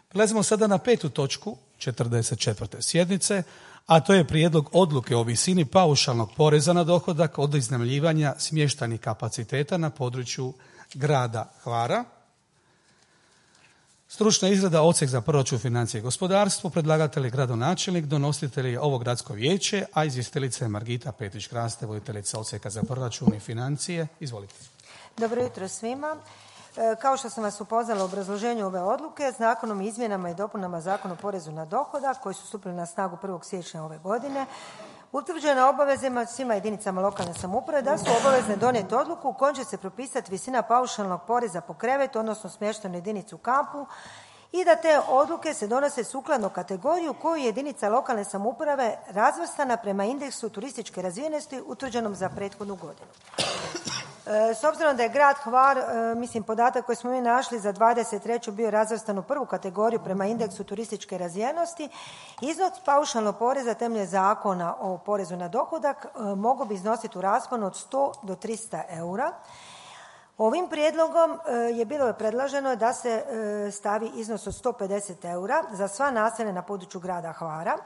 Prelazimo sada na 5. točku 44. sjednice, a to je prijedlog odluke o visini paušalnog poreza na dohodak od iznajmljivanja smještajnih kapaciteta na području grada Hvara. Stručna izrada Odsjek za proračun, financije i gospodarstvo, predlagatelj je gradonačelnik, donositelj je ovo gradsko vijeće, a izvjestiteljica je Margita Petrić-Kraste, voditeljica Odsjeka za proračun i financije. Izvolite. Dobro jutro svima. Kao što sam vas upoznala u obrazloženju ove odluke, Zakonom o izmjenama i dopunama Zakona o porezu na dohodak koji su stupili na snagu 1. siječnja ove godine, utvrđena obavezama svima jedinicama lokalne samouprave da su obavezne donijeti odluku u kojoj će se propisati visina paušalnog poreza po krevetu, odnosno smještajnu jedinicu u kampu, i da te odluke se donose sukladno kategoriju koju je jedinica lokalne samouprave razvrstana prema indeksu turističke razvijenosti utvrđenom za prethodnu godinu. S obzirom da je grad Hvar, podatak koji smo mi našli za 23. bio razvrstan u prvu kategoriju prema indeksu turističke razvijenosti, iznos paušalnog poreza temeljem Zakona o porezu na dohodak mogao bi iznositi u rasponu od 100 do 300 eura. Ovim prijedlogom je bilo predloženo da se stavi iznos od 150 eura za sva naselja na području grada Hvara.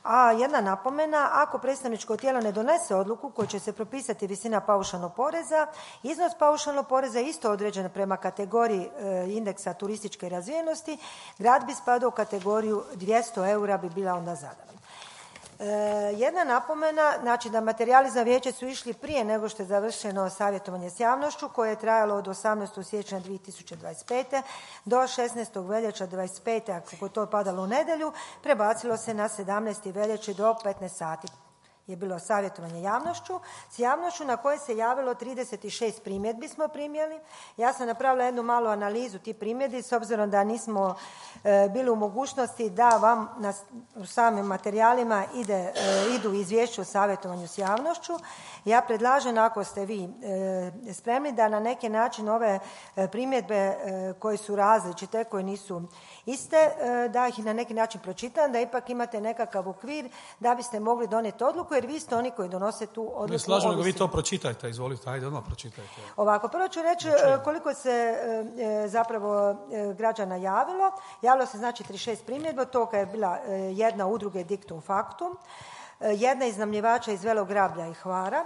A jedna napomena, ako predstavničko tijelo ne donese odluku kojom će se propisati visina paušalnog poreza, iznos paušalnog poreza je isto određen prema kategoriji indeksa turističke razvijenosti, grad bi spadao u kategoriju 200 eura bi bila onda zadana. Jedna napomena, znači da materijali za vijeće su išli prije nego što je završeno savjetovanje s javnošću koje je trajalo od 18. siječnja 2025. do 16. veljača 2025. ako to padalo u nedjelju, prebacilo se na 17. veljače do 15 sati. Je bilo savjetovanje s javnošću na koje se javilo 36 primjedbi smo primjeli. Ja sam napravila jednu malu analizu tih primjedbi s obzirom da nismo bili u mogućnosti da vam u samim materijalima idu izvješće o savjetovanju s javnošću. Ja predlažem, ako ste vi spremni, da na neki način ove primjedbe koje su različite, koje nisu iste, da ih na neki način pročitam, da ipak imate nekakav okvir da biste mogli donijeti odluku, jer vi ste oni koji donose tu odluku. Ne slažem, nego vi to pročitajte, izvolite, ajde odmah pročitajte. Ovako, prvo ću reći koliko se zapravo građana javilo. Javilo se znači 36 primjedba, toga je bila jedna udruge Dictum Factum, jedna iznajmljivača iz Velog Grablja i Hvara,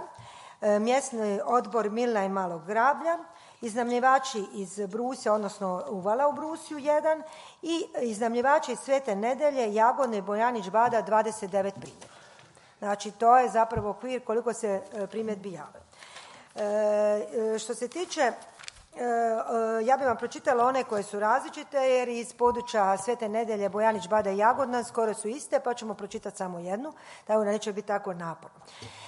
mjesni odbor Milna i Malog Grablja, iznajmljivači iz Brusja, odnosno Uvala u Brusju jedan, i iznajmljivači iz Svete Nedelje, Jagodne i Bojanić Bada 29 primjedbi. Znači, to je zapravo okvir koliko se primjedbi javilo. Što se tiče, ja bih vam pročitala one koje su različite, jer iz područja Svete Nedelje, Bojanić Bada i Jagodna skoro su iste, pa ćemo pročitati samo jednu, tako da neće biti tako naporno.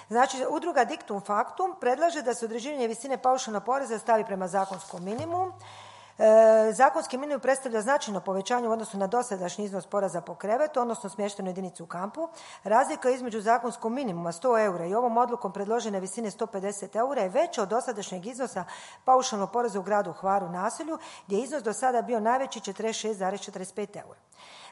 Znači, udruga Dictum Factum predlaže da se određivanje visine paušalnog poreza stavi prema zakonskom minimumu. Zakonski minimum predstavlja značajno povećanje u odnosu na dosadašnji iznos poreza po krevetu, odnosno smještajnu jedinicu u kampu. Razlika između zakonskog minimuma 100 eura i ovom odlukom predložene visine 150 eura je veća od dosadašnjeg iznosa paušalnog poreza u gradu Hvaru naselju, gdje je iznos do sada bio najveći 46,45 eura.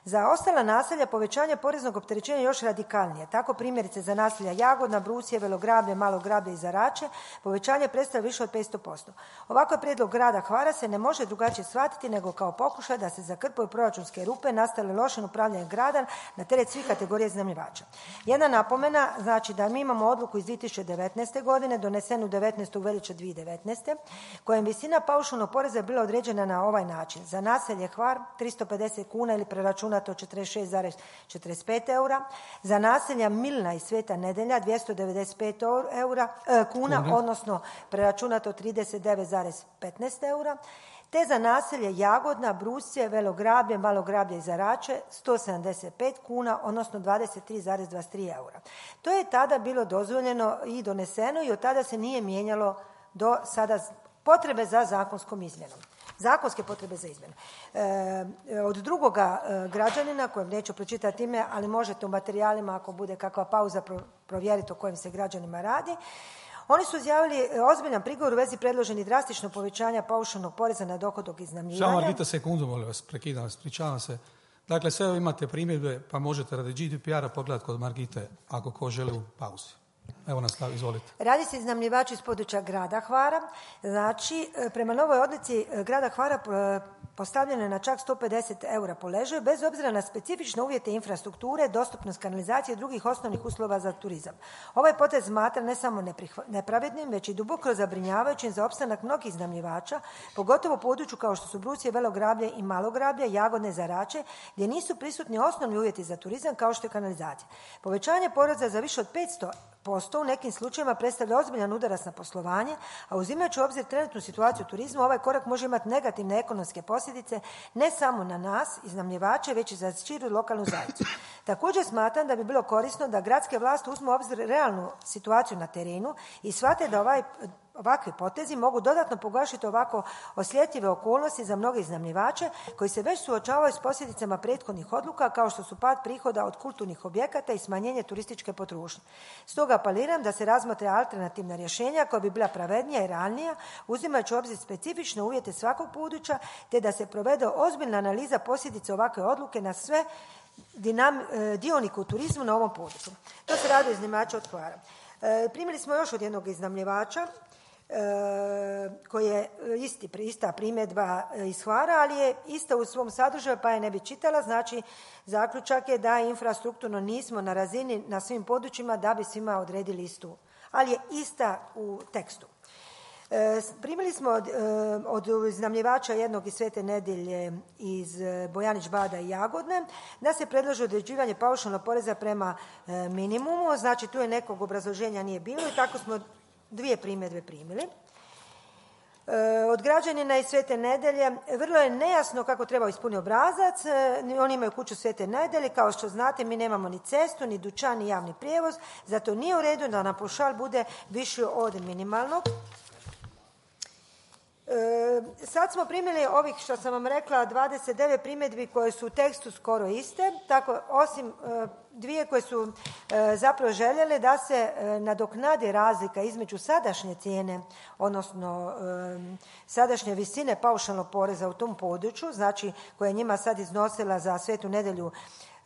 Za ostala naselja povećanje poreznog opterećenja je još radikalnije. Tako primjerice za naselja Jagodna, Brusje, Velograblje, Malo Grablje i Zarače povećanje predstavlja više od 500%. Ovakav prijedlog grada Hvara se ne može drugačije shvatiti nego kao pokušaj da se zakrpaju proračunske rupe nastale lošim upravljanjem grada na teret svih kategorija iznajmljivača. Jedna napomena, znači da mi imamo odluku iz 2019. godine donesenu 19. veljače 2019. kojem visina paušalnog poreza je bila određena na ovaj način. Za naselje Hvar 350 kuna ili preračunato 46,45 eura. Za naselja Milna i Sveta Nedelja 295 kuna, odnosno preračunato 39,15 eura. Te za naselje Jagodna, Brusje, Velograblje, Malo Grablje i Zarače 175 kuna, odnosno 23,23 eura. To je tada bilo dozvoljeno i doneseno i od tada se nije mijenjalo do sada potrebe za zakonskom izmjenom. Zakonske potrebe za izmjenu. Od drugoga građanina, kojem neću pročitati ime, ali možete u materijalima, ako bude kakva pauza, provjeriti o kojim se građanima radi. Oni su izjavili ozbiljan prigovor u vezi predloženih drastično povećanja paušalnog poreza na dohodak iznajmljivanja. Samo Margita, sekundu, molim vas, prekidam vas, pričavam se. Dakle, sve imate primjedbe, pa možete radi GDPR-a pogledati kod Margite, ako ko želi u pauzi. Evo nastavi, izvolite. Radi se iznajmljivači iz područja grada Hvara. Znači, prema novoj odluci grada Hvara postavljeno je na čak 150 eura po ležaju, bez obzira na specifične uvjete infrastrukture, dostupnost kanalizacije i drugih osnovnih uslova za turizam. Ovaj potez smatra ne samo nepravednim, već i duboko zabrinjavajućim za opstanak mnogih iznajmljivača, pogotovo u području kao što su Brusije, Velograblje i Malograblje, Jagodne, Zarače, gdje nisu prisutni osnovni uvjeti za turizam kao što je kanalizacija. Povećanje poreza za više od 500% u nekim slučajevima predstavlja ozbiljan udarac na poslovanje, a uzimajući u obzir trenutnu situaciju u turizmu, ovaj korak može imati negativne ekonomske posljedice ne samo na nas, iznajmljivače, već i za širu lokalnu zajednicu. Također smatram da bi bilo korisno da gradske vlasti uzmu u obzir realnu situaciju na terenu i shvate da ovakvi potezi mogu dodatno pogoršati ovako osjetljive okolnosti za mnoge iznajmljivače koji se već suočavaju s posljedicama prethodnih odluka kao što su pad prihoda od kulturnih objekata i smanjenje turističke potrošnje. Stoga apeliram da se razmotre alternativna rješenja koja bi bila pravednija i realnija, uzimajući u obzir specifične uvjete svakog područja, te da se provede ozbiljna analiza posljedica ovakve odluke na sve dionike u turizmu na ovom području. To se radi o iznajmljivača od Hvara. Primili smo još od jednog iznajmljivača koji je ista primjedba iz Hvara, ali je ista u svom sadržaju pa je ne bi čitala. Znači, zaključak je da infrastrukturno nismo na razini na svim područjima da bi svima odredili istu, ali je ista u tekstu. Primili smo od iznajmljivača jednog iz Svete Nedjelje iz Bojanić Bada i Jagodne da se predlaže određivanje paušalnog poreza prema minimumu. Znači, tu je nekog obrazloženja nije bilo i tako smo 2 primjedbe primili. Od građanina iz Svete Nedjelje vrlo je nejasno kako treba ispuniti obrazac. Oni imaju kuću Svete Nedjelje, kao što znate mi nemamo ni cestu, ni dućan, ni javni prijevoz, zato nije u redu da nam paušal bude viši od minimalnog. Sad smo primili ovih, što sam vam rekla, 29 primjedbi koje su u tekstu skoro iste, tako osim 2 koje su zapravo željele da se nadoknadi razlika između sadašnje cijene, odnosno sadašnje visine paušalnog poreza u tom području, znači koja je njima sad iznosila za Svetu Nedjelju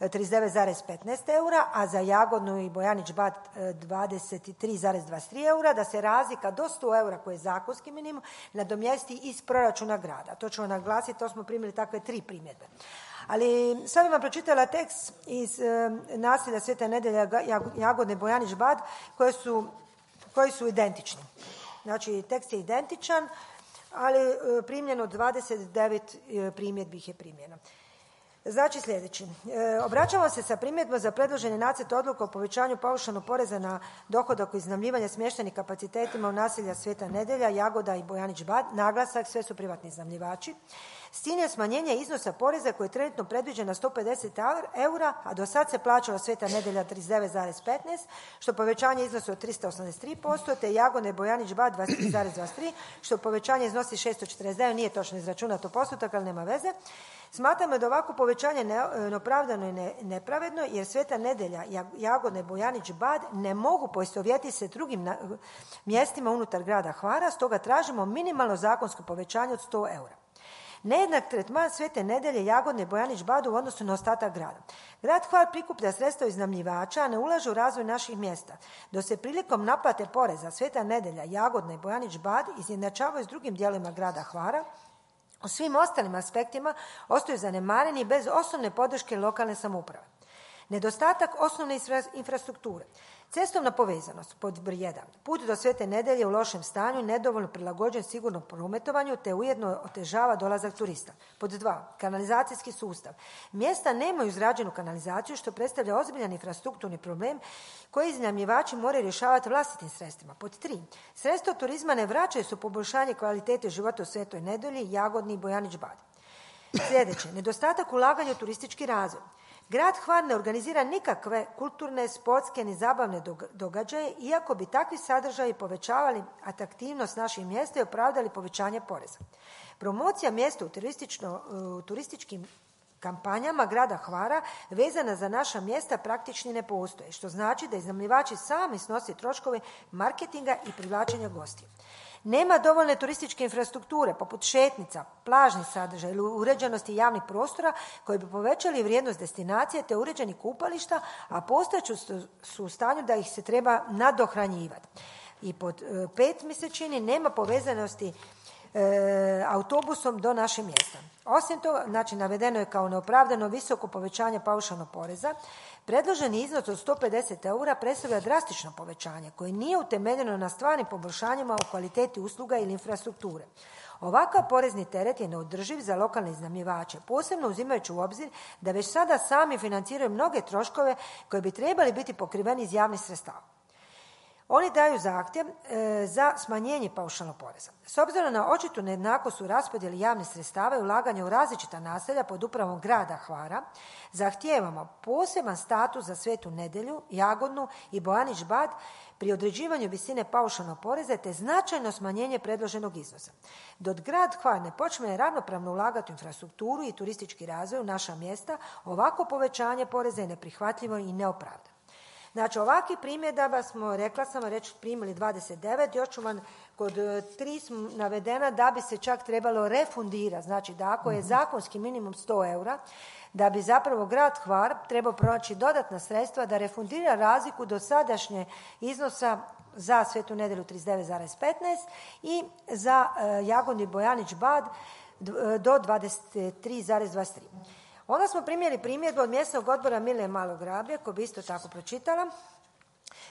39,15 eura, a za Jagodnu i Bojanić Bad 23,23 eura, da se razlika do 100 eura koji je zakonski minimum nadomjesti iz proračuna grada. To ćemo naglasiti, to smo primili takve 3 primjedbe. Ali sad bih vam pročitala tekst iz naselja Sveta Nedjelja, Jagodne, Bojanić Bad koji su identični. Znači, tekst je identičan, ali primljeno 29 primjedbi ih je primljeno. Znači sljedeći. Obraćamo se sa primjedbom za predloženi nacrt odluke o povećanju paušalnog poreza na dohodak u iznajmljivanje smještajnih kapacitetima u naselja Sveta Nedjelja, Jagoda i Bojanić Bad. Naglasak, sve su privatni iznajmljivači. S ciljem smanjenja iznosa poreza koji je trenutno predviđen na 150 eura, a do sad se plaćalo Sveta Nedjelja 39,15, što povećanje iznosi od 383%, te Jagodne i Bojanić Bad 23,23, što povećanje iznosi 649, nije točno izračunato postotak, ali nema veze. Smatramo da ovako povećanje neopravdano i nepravedno, jer Sveta Nedjelja, Jagodne, Bojanić Bad ne mogu poistovjetiti se drugim mjestima unutar grada Hvara, stoga tražimo minimalno zakonsko povećanje od 100 eura. Nejednak tretman Svete Nedjelje, Jagodne i Bojanić Badu u odnosu na ostatak grada. Grad Hvar prikuplja sredstva iznajmljivača, a ne ulaže u razvoj naših mjesta. Dok se prilikom naplate poreza Sveta Nedjelja, Jagodne i Bojanić Bad izjednačavaju s drugim dijelovima grada Hvara, u svim ostalim aspektima ostaju zanemareni bez osnovne podrške lokalne samouprave. Nedostatak osnovne infrastrukture. Cestovna povezanost, pod broj 1. Put do Svete Nedjelje u lošem stanju, nedovoljno prilagođen sigurnom prometovanju, te ujedno otežava dolazak turista. Pod 2. Kanalizacijski sustav. Mjesta nemaju izrađenu kanalizaciju, što predstavlja ozbiljan infrastrukturni problem koji iznajmljivači moraju rješavati vlastitim sredstvima. Pod 3. Sredstva turizma ne vraćaju se u poboljšanje kvalitete života u Svetoj Nedjelji, Jagodni i Bojanić Bad. Sljedeće. Nedostatak ulaganja u turistički razvoj. Grad Hvar ne organizira nikakve kulturne, sportske ni zabavne događaje, iako bi takvi sadržaji povećavali atraktivnost naših mjesta i opravdali povećanje poreza. Promocija mjesta u turističkim kampanjama grada Hvara vezana za naša mjesta praktični ne postoje, što znači da iznajmljivači sami snose troškove marketinga i privlačenja gostiju. Nema dovoljne turističke infrastrukture poput šetnica, plažnih sadržaja ili uređenosti javnih prostora koji bi povećali vrijednost destinacije te uređenih kupališta, a postojeći su u stanju da ih se treba nadohranjivati. I pod 5 mi se čini nema povezanosti autobusom do našeg mjesta. Osim toga, znači navedeno je kao neopravdano visoko povećanje paušalnog poreza. Predloženi iznos od 150 eura predstavlja drastično povećanje koje nije utemeljeno na stvarnim poboljšanjima u kvaliteti usluga ili infrastrukture. Ovakav porezni teret je neodrživ za lokalne iznajmljivače, posebno uzimajući u obzir da već sada sami financiraju mnoge troškove koji bi trebali biti pokriveni iz javnih sredstava. Oni daju zahtjev za smanjenje paušalnog poreza. S obzirom na očitu nejednakost u raspodjeli javnih sredstava i ulaganja u različita naselja pod upravom grada Hvara, zahtijevamo poseban status za Svetu Nedjelju, Jagodnu i Bojanić Bad pri određivanju visine paušalnog poreza te značajno smanjenje predloženog iznosa. Dok grad Hvar ne počne ravnopravno ulagati u infrastrukturu i turistički razvoj u naša mjesta, ovako povećanje poreza je neprihvatljivo i neopravdano. Znači, ovakvih primjedaba smo, rekla sam, reći primili 29, još ću vam kod 3 navedena da bi se čak trebalo refundirati. Znači, da ako je zakonski minimum 100 eura, da bi zapravo grad Hvar trebao pronaći dodatna sredstva da refundira razliku do sadašnje iznosa za Svetu Nedjelju 39,15 i za Jagodni Bojanić Bad do 23,23. Onda smo primjeri primjedbu od mjesnog odbora Milne Malo Grablje, koji bi isto tako pročitala.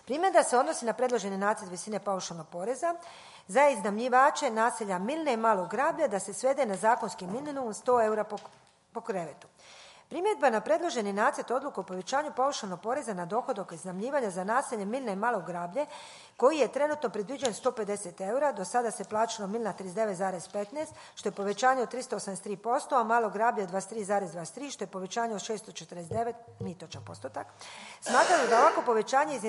Primjedba se odnosi na predloženi nacrt visine paušalnog poreza za iznajmljivače naselja Milne i Malo Grablje da se svede na zakonski minimum 100 eura po krevetu. Primjedba na predloženi nacrt odluku o povećanju paušalnog poreza na dohodak iznajmljivanja za naselje Milne i Malo Grablje, koji je trenutno predviđen 150 eura, do sada se plaćalo Milna 39,15, što je povećanje od 383%, a Malo Grablje 23,23, što je povećanje od 649, nije točan postotak. Smatramo da ovako povećanje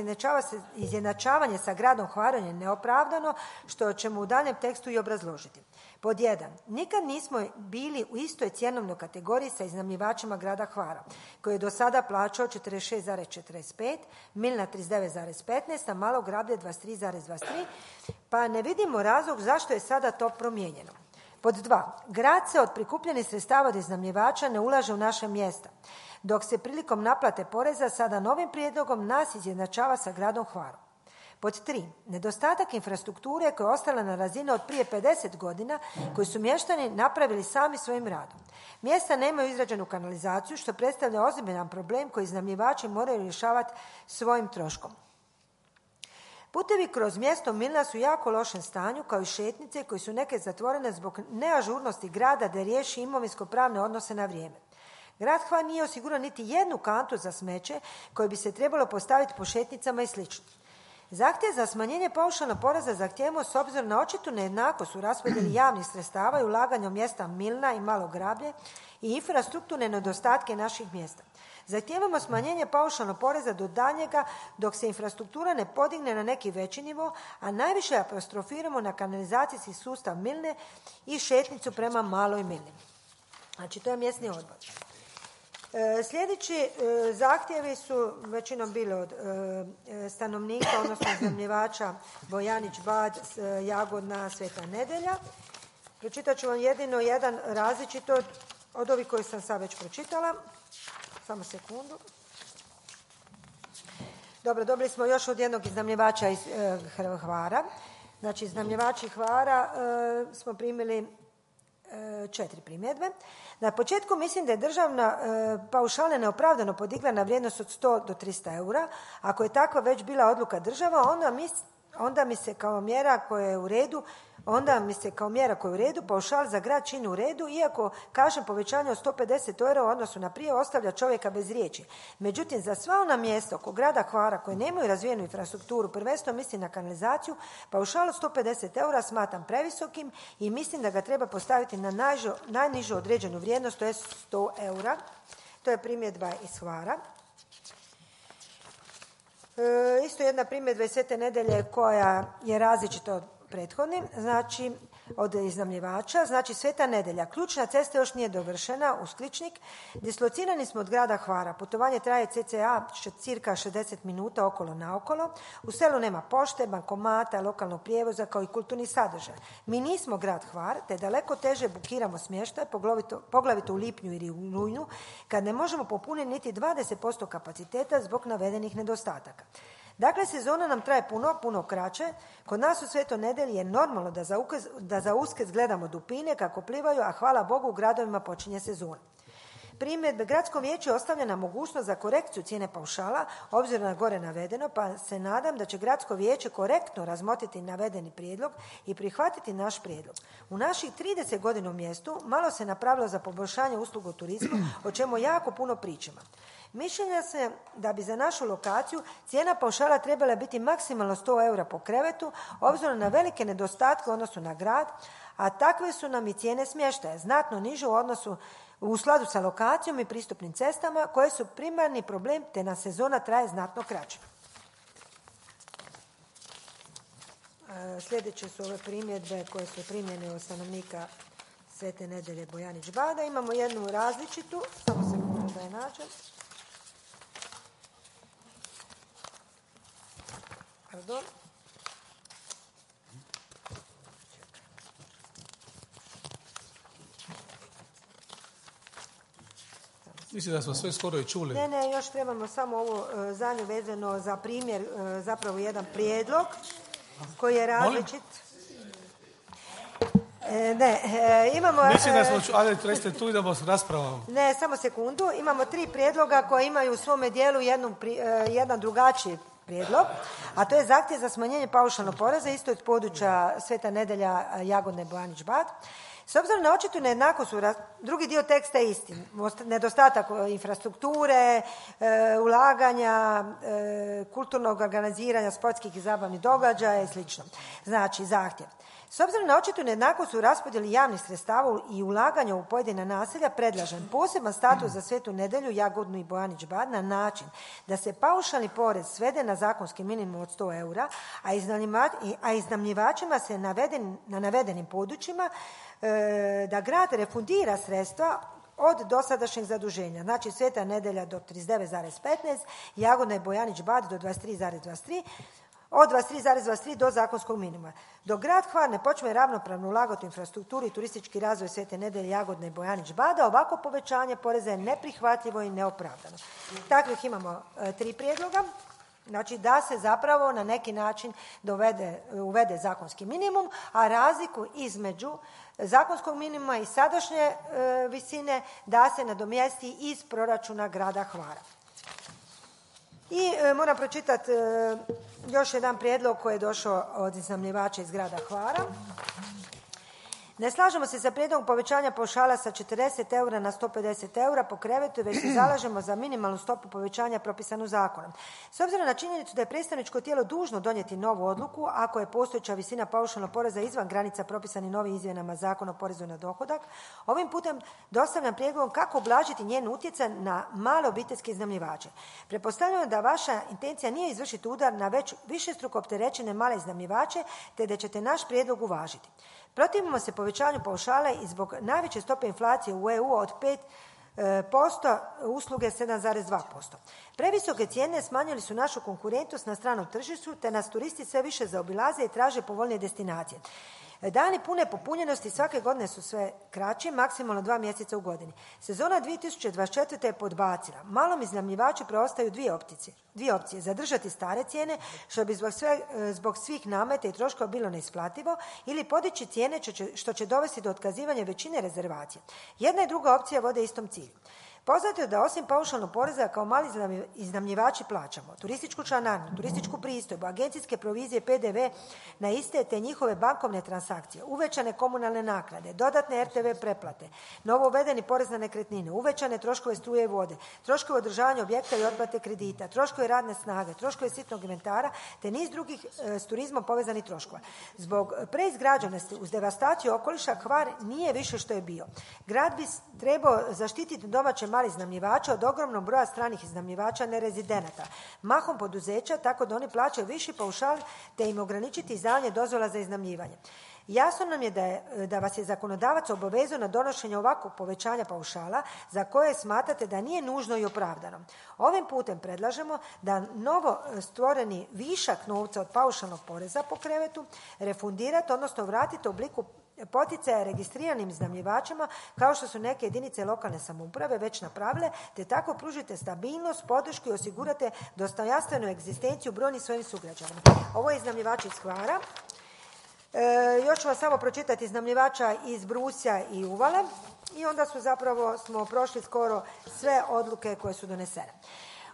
izjednačavanje sa gradom Hvarom je neopravdano, što ćemo u daljem tekstu i obrazložiti. Pod 1. Nikad nismo bili u istoj cjenovnoj kategoriji sa iznajmljivačima grada Hvara, koji je do sada plaćao 46,45, Milna 39,15, a Malo Grablje 23,23, pa ne vidimo razlog zašto je sada to promijenjeno. Pod 2. Grad se od prikupljenih sredstava od iznajmljivača ne ulaže u naše mjesta, dok se prilikom naplate poreza sada novim prijedlogom nas izjednačava sa gradom Hvarom. Pod 3. Nedostatak infrastrukture koja je ostala na razini od prije 50 godina, koji su mještani napravili sami svojim radom. Mjesta nemaju izrađenu kanalizaciju, što predstavlja ozbiljan problem koji iznajmljivači moraju rješavati svojim troškom. Putevi kroz mjesto Milna su jako lošem stanju, kao i šetnice koji su neke zatvorene zbog neažurnosti grada da riješi imovinsko-pravne odnose na vrijeme. Grad Hvar nije osigurao niti jednu kantu za smeće koje bi se trebalo postaviti po šetnicama i sl. Zahtjev za smanjenje paušalnog poreza zahtijevamo s obzirom na očitu nejednakost u raspodjeli javnih sredstava i ulaganju mjesta Milna i Malo Grablje i infrastrukturne nedostatke naših mjesta. Zahtijevamo smanjenje paušalnog poreza do daljnjega dok se infrastruktura ne podigne na neki veći nivo, a najviše apostrofiramo na kanalizacijski sustav Milne i šetnicu prema Maloj Milni. Znači, to je mjesni odbor. Sljedeći zahtjevi su većinom bili od stanovnika, odnosno iznajmljivača Bojanić Bad, Jagodna, Sveta Nedjelja. Pročitat ću vam jedino jedan različito od ovih koji sam sad već pročitala. Samo sekundu. Dobro, dobili smo još od jednog iznajmljivača iz Hvara. Znači, iznajmljivači Hvara smo primili 4 primjedbe. Na početku mislim da je državna paušala neopravdano podigla na vrijednost od 100 do 300 eura. Ako je takva već bila odluka država, onda mi se kao mjera koja je u redu, paušal za grad čini u redu, iako kažem povećanje od 150 eura u odnosu na prije ostavlja čovjeka bez riječi. Međutim, za sva ona mjesta oko grada Hvara koje nemaju razvijenu infrastrukturu, prvenstveno mislim na kanalizaciju, paušal od 150 eura smatram previsokim i mislim da ga treba postaviti na najnižu određenu vrijednost, to je 100 eura. To je primjedba iz Hvara. Isto jedna primjedba iz Svete Nedjelje koja je različita od prethodnim, znači od iznajmljivača. Znači, Sveta Nedjelja, ključna cesta još nije dovršena, uz Kličnik. Dislocirani smo od grada Hvara. Putovanje traje cca cirka 60 minuta okolo naokolo. U selu nema pošte, bankomata, lokalnog prijevoza kao i kulturnih sadržaja. Mi nismo grad Hvar, te daleko teže bukiramo smještaj, poglavito u lipnju ili u rujnu, kad ne možemo popuniti niti 20% kapaciteta zbog navedenih nedostataka. Dakle, sezona nam traje puno kraće. Kod nas u Svetoj Nedjelji je normalno da da za Uskrs gledamo dupine kako plivaju, a hvala Bogu u gradovima počinje sezona. Primjedbe gradskom vijeću je ostavljena mogućnost za korekciju cijene paušala, obzirom na gore navedeno, pa se nadam da će gradsko vijeće korektno razmotriti navedeni prijedlog i prihvatiti naš prijedlog. U naših 30 godina u mjestu malo se napravilo za poboljšanje usluga u turizmu, o čemu jako puno pričamo. Mišljenja se da bi za našu lokaciju cijena paušala trebala biti maksimalno 100 eura po krevetu, obzirom na velike nedostatke u odnosu na grad, a takve su nam i cijene smještaja, znatno niže u skladu sa lokacijom i pristupnim cestama koje su primarni problem te na sezona traje znatno kraće. Sljedeće su ove primjedbe koje su primljene od stanovnika Svete Nedelje Bojanić Bada. Imamo jednu različitu, samo sekundu da je nađem. Pardon. Mislim da smo sve skoro i čuli. Ne, još trebamo samo ovo zadnje vezano za primjer, zapravo jedan prijedlog koji je različit. Imamo... Mislim da smo ali recite tu idemo s raspravom. Ne, samo sekundu. Imamo 3 prijedloga koji imaju u svome dijelu jedan drugačiji prijedlog, a to je zahtjev za smanjenje paušalnog poreza isto iz područja Sveta Nedelja, Jagodne, Bojanić, Bad. S obzirom na očitu nejednakost, drugi dio teksta je isti. Nedostatak infrastrukture, ulaganja, kulturnog organiziranja, sportskih i zabavnih događaja i sl. Znači, zahtjev. S obzirom na očitu nejednakost u raspodjeli javnih sredstava i ulaganja u pojedina naselja, predlažem poseban status za Svetu Nedelju, Jagodnu i Bojanić Bad na način da se paušalni porez svede na zakonski minimum od 100 eura, a iznajmljivačima se na navedenim područjima da grad refundira sredstva od dosadašnjeg zaduženja. Znači Sveta Nedelja do 39,15, Jagodna i Bojanić Bad do 23,23, od 23,23 do zakonskog minimuma. Dok grad Hvar ne počne ravnopravno ulagati u infrastrukturu i turistički razvoj Svete Nedelje, Jagodne i Bojanić Bada, ovako povećanje poreza je neprihvatljivo i neopravdano. Takvih imamo 3 prijedloga. Znači da se zapravo na neki način uvede zakonski minimum, a razliku između zakonskog minimuma i sadašnje visine da se nadomjesti iz proračuna grada Hvara. I moram pročitati još jedan prijedlog koji je došao od iznajmljivača iz grada Hvara. Ne slažemo se sa prijedlogom povećanja paušala sa 40 eura na 150 eura po krevetu, već se zalažemo za minimalnu stopu povećanja propisanu zakonom. S obzirom na činjenicu da je predstavničko tijelo dužno donijeti novu odluku ako je postojeća visina paušalnog poreza izvan granica propisani novim izmjenama Zakona o porezu na dohodak, ovim putem dostavljam prijedlogom kako ublažiti njen utjecaj na male obiteljske iznajmljivače. Pretpostavljam da vaša intencija nije izvršiti udar na već višestruko opterećene male iznajmljivače, te da ćete naš prijedlog uvažiti. Protivimo se povećanju paušala i zbog najveće stope inflacije u EU od 5%, usluge 7,2%. Previsoke cijene smanjili su našu konkurentnost na stranom tržištu, te nas turisti sve više zaobilaze i traže povoljnije destinacije. Dani pune popunjenosti svake godine su sve kraći, maksimalno 2 mjeseca u godini. Sezona 2024. je podbacila. Malom iznajmljivaču preostaju dvije opcije. Zadržati stare cijene, što bi zbog svih nameta i troškova bilo neisplativo, ili podići cijene, što će dovesti do otkazivanja većine rezervacije. Jedna i druga opcija vode istom cilju. Poznato je da osim paušalnog poreza kao mali iznajmljivači plaćamo turističku članarinu, turističku pristojbu, agencijske provizije, PDV na iste te njihove bankovne transakcije, uvećane komunalne naknade, dodatne RTV pretplate, novo uvedeni porez na nekretnine, uvećane troškove struje i vode, troškove održavanja objekta i otplate kredita, troškove radne snage, troškove sitnog inventara te niz drugih s turizmom povezanih troškova. Zbog preizgrađenosti uz devastaciju okoliša Hvar nije više što je bio. Grad bi trebao zaštititi domaće mali iznajmljivača od ogromnog broja stranih iznajmljivača nerezidenata, mahom poduzeća, tako da oni plaćaju viši paušal te im ograničiti izdavanje dozvola za iznajmljivanje. Jasno nam je da vas je zakonodavac obavezao na donošenje ovakvog povećanja paušala za koje smatrate da nije nužno i opravdano. Ovim putem predlažemo da novo stvoreni višak novca od paušalnog poreza po krevetu refundirate, odnosno vratite u obliku poticaja registriranim iznajmljivačima kao što su neke jedinice lokalne samouprave već napravile, te tako pružite stabilnost, podršku i osigurate dostojanstvenu egzistenciju brojnih svojim sugrađanima. Ovo je iznajmljivač iz Hvara. Još ću vam samo pročitati iznajmljivača iz Brusja i Uvale i onda smo prošli skoro sve odluke koje su donesene.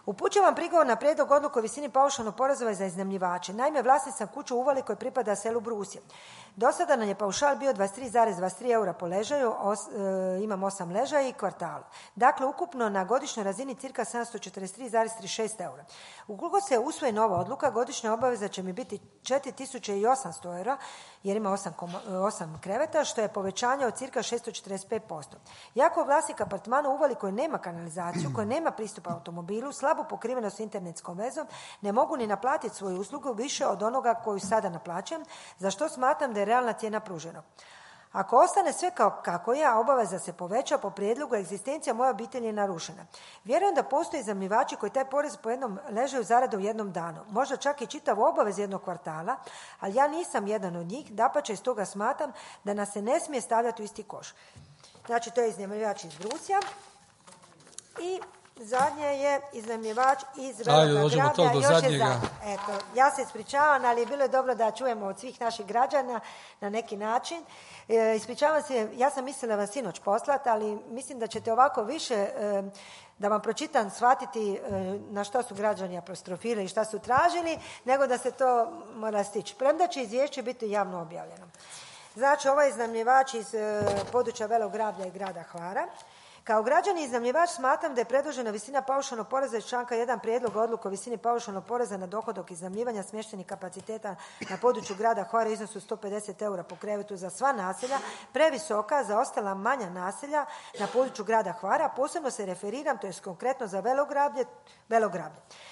Upućujem prigovor na prijedlog odluke o visini paušalnog poreza za iznajmljivače. Naime, vlasnik sam kuću u Uvali koji pripada selu Brusje. Do sada nam je paušal bio 23,23 eura po ležaju, imam 8 ležaja i kvartalu. Dakle, ukupno na godišnjoj razini cirka 743,36 eura. Ukoliko se usvoji nova odluka, godišnja obaveza će mi biti 4800 eura, jer ima 8 kreveta, što je povećanje od cirka 645%. Jako vlasnik apartmana u Uvali koji nema kanalizaciju, koji nema pristupa automobilu, slabu pokrivenost internetskom vezom, ne mogu ni naplatiti svoju uslugu više od onoga koju sada naplaćujem, za što smatram da je realna cijena pružena. Ako ostane sve kako je, a obaveza se poveća, po prijedlogu egzistencija moje obitelji je narušena. Vjerujem da postoje iznajmljivači koji taj porez po jednom ležaju zarade u jednom danu, možda čak i čitavu obavez jednog kvartala, ali ja nisam jedan od njih, dapače iz toga smatram da nas se ne smije stavljati u isti koš. Znači, to je iznajmljivač iz Brusja i zadnje je iznajmljivač iz Veloga Grablja. Eto, ja se ispričavam, ali bilo je dobro da čujemo od svih naših građana na neki način. Ispričavam se, ja sam mislila vas sinoć poslati, ali mislim da ćete ovako više, da vam pročitam, shvatiti na što su građani apostrofirali i šta su tražili, nego da se to mora stići. Premda će izvješće biti javno objavljeno. Znači, ovaj iznajmljivač iz područja Velog Grablja i grada Hvara. Kao građani iznajmljivač smatram da je predložena visina paušalnog poreza iz članka 1 prijedloga odluke o visini paušalnog poreza na dohodak iznajmljivanja smještajnih kapaciteta na području grada Hvara iznosu 150 eura po krevetu za sva naselja previsoka za ostala manja naselja na području grada Hvara. Posebno se referiram, to je konkretno za Velog Grablje.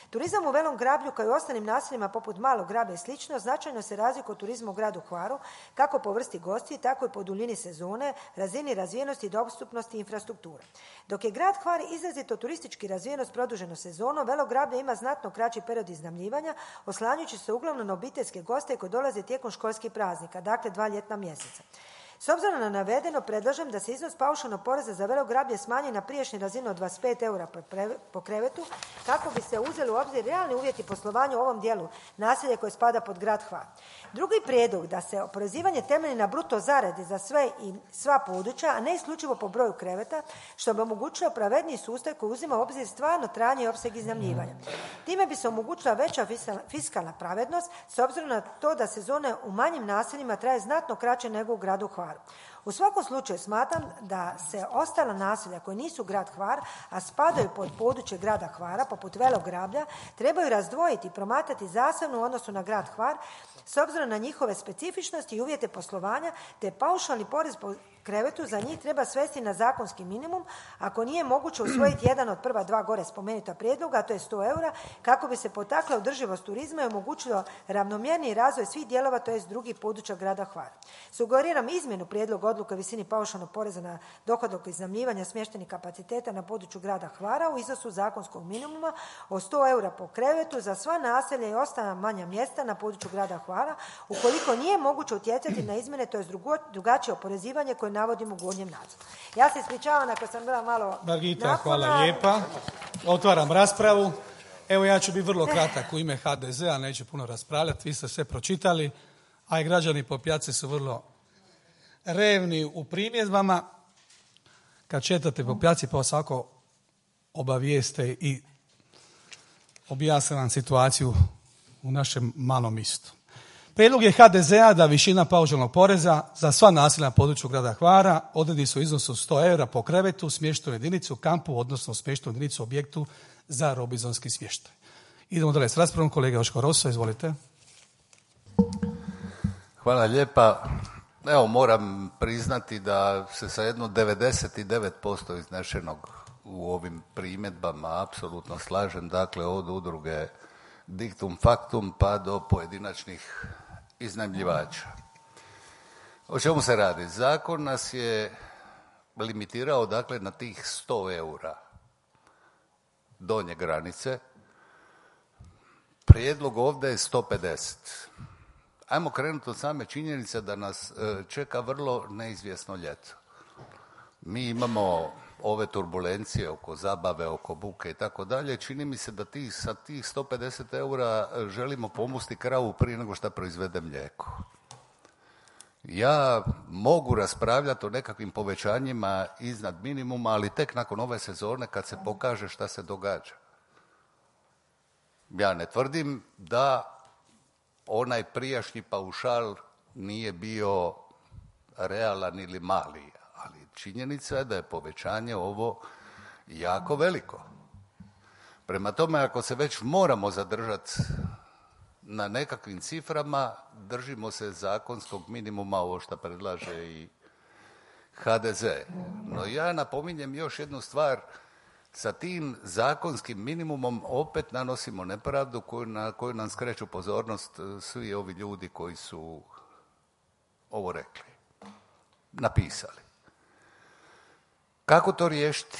Turizam u Velom Grablju kao i ostalim naseljima poput Malog Grablja i slično značajno se razlikuje od turizma u gradu Hvaru, kako po vrsti gostiju, tako i po duljini sezone, razini razvijenosti, dostupnosti i infrastrukture. Dok je grad Hvar izrazito turistički razvijenost produženo sezono, Velo Grablje ima znatno kraći period iznajmljivanja, oslanjajući se uglavnom na obiteljske goste koji dolaze tijekom školskih praznika, dakle 2 ljetna mjeseca. S obzirom na navedeno, predlažem da se iznos paušalnog poreza za Velo Grablje smanji na prijašnju razinu od 25 eura po krevetu, kako bi se uzeli u obzir realni uvjeti poslovanja u ovom dijelu naselja koje spada pod grad Hvar. Drugi prijedlog da se oporezivanje temelji na bruto zaradi za sve i sva područja, a ne isključivo po broju kreveta, što bi omogućilo pravedniji sustav koji uzima u obzir stvarno trajanje i opseg iznajmljivanja. Time bi se omogućila veća fiskalna pravednost, s obzirom na to da sezone u manjim naseljima traje znatno kraće nego u gradu Hvaru. U svakom slučaju smatram da se ostala naselja koji nisu grad Hvar, a spadaju pod područje grada Hvara, poput Velog Grablja, trebaju razdvojiti i promatrati zasebno u odnosu na grad Hvar, s obzirom na njihove specifičnosti i uvjete poslovanja, te paušalni porez po krevetu za njih treba svesti na zakonski minimum, ako nije moguće usvojiti jedan od prva 2 gore spomenuta prijedloga, a to je 100 eura, kako bi se potakla održivost turizma i omogućilo ravnomjerniji razvoj svih dijelova, to jest drugih područja grada Hvara. Sugeriram izmjenu prijedloga odluke o visini paušalnog poreza na dohodak iznajmljivanja smještajnih kapaciteta na području grada Hvara u iznosu zakonskog minimuma od 100 eura po krevetu za sva naselja i ostala manja mjesta na području grada Hvara, ukoliko nije moguće utjecati na izmjene, to jest drugačije oporezivanje koje navodim u gornjem nadzoru. Ja se ispričavam ako sam bila malo Margita, napona. hvala lijepa. Otvaram raspravu. Evo, ja ću biti vrlo kratak u ime HDZ-a, neću puno raspravljati, vi ste sve pročitali, a i građani po pijaci su vrlo revni u primjedbama. Kad četate po pijaci pa svako obavijeste i objasne vam situaciju u našem malom mjestu. Prijedlog je HDZ-a da višina paušalnog poreza za sva naselja na području grada Hvara odredi se u iznosu 100 eura po krevetu, smještenu jedinicu, kampu, odnosno smještenu jedinicu objektu za robinzonski smještaj. Idemo dalje s raspravom. Kolega Joško Rosso, izvolite. Hvala lijepa. Evo, moram priznati da se sa jedno 99% iznešenog u ovim primjedbama apsolutno slažem, dakle od udruge Dictum Factum pa do pojedinačnih iznajmljivača. O čemu se radi? Zakon nas je limitirao dakle na tih 100 eura donje granice. Prijedlog ovdje je 150. Ajmo krenuti od same činjenice da nas čeka vrlo neizvjesno ljeto. Mi imamo ove turbulencije oko zabave, oko buke i tako dalje. Čini mi se da sa tih 150 eura želimo pomusti kravu prije nego što proizvede mlijeko. Ja mogu raspravljati o nekakvim povećanjima iznad minimuma, ali tek nakon ove sezone kad se pokaže šta se događa. Ja ne tvrdim da onaj prijašnji paušal nije bio realan ili mali, ali činjenica je da je povećanje ovo jako veliko. Prema tome, ako se već moramo zadržati na nekakvim ciframa, držimo se zakonskog minimuma, ovo što predlaže i HDZ. No ja napominjem još jednu stvar, sa tim zakonskim minimumom opet nanosimo nepravdu na koju nam skreću pozornost svi ovi ljudi koji su ovo rekli, napisali. Kako to riješiti?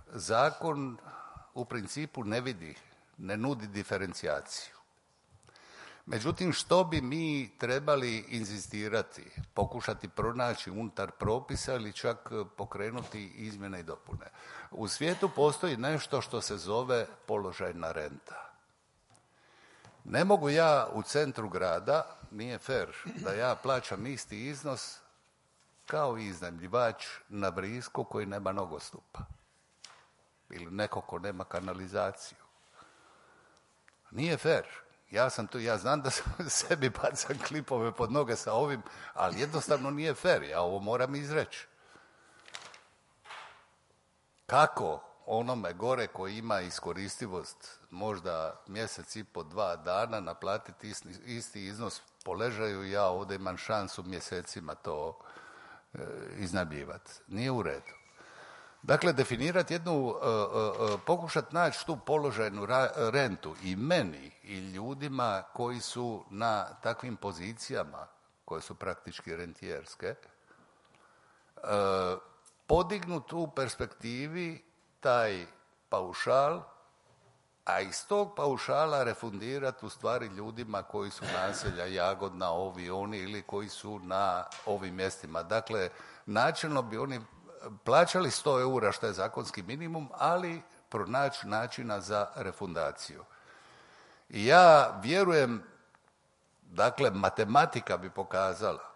Zakon u principu ne nudi diferencijaciju. Međutim, što bi mi trebali inzistirati, pokušati pronaći unutar propisa ili čak pokrenuti izmjene i dopune? U svijetu postoji nešto što se zove položajna renta. Ne mogu ja u centru grada, nije fer da ja plaćam isti iznos kao i iznajmljivač na Brisku koji nema nogostupa ili neko ko nema kanalizaciju. Nije fer. Ja znam da sebi bacam klipove pod noge sa ovim, ali jednostavno nije fer. Ja ovo moram izreći. Kako onome gore koji ima iskoristivost možda mjesec i po 2 dana naplatiti isti iznos po ležaju, ja ovdje imam šansu mjesecima to iznajmljivati. Nije u redu. Dakle, definirati pokušati naći tu položajnu rentu i meni i ljudima koji su na takvim pozicijama, koje su praktički rentijerske, podignuti u perspektivi taj paušal, a iz tog paušala refundirati u stvari ljudima koji su naselja Jagodna, ovi, oni ili koji su na ovim mjestima. Dakle, načelno bi oni plaćali 100 eura što je zakonski minimum, ali pronaći načina za refundaciju. I ja vjerujem, dakle, matematika bi pokazala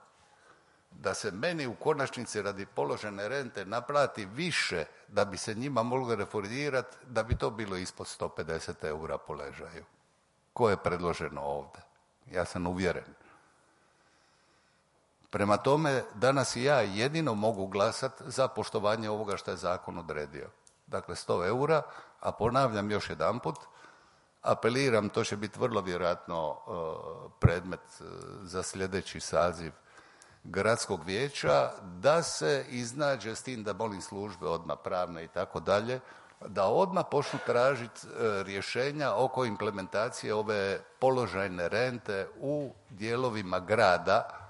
da se meni u konačnici radi položene rente naplati više da bi se njima moglo refundirati, da bi to bilo ispod 150 eura po ležaju. Ko je predloženo ovdje? Ja sam uvjeren. Prema tome, danas i ja jedino mogu glasati za poštovanje ovoga što je zakon odredio. Dakle, 100 eura, a ponavljam još jedanput, apeliram, to će biti vrlo vjerojatno predmet za sljedeći saziv gradskog vijeća, da se iznađe s tim da molim službe odmah pravne i tako dalje, da odmah počnu tražiti rješenja oko implementacije ove položajne rente u dijelovima grada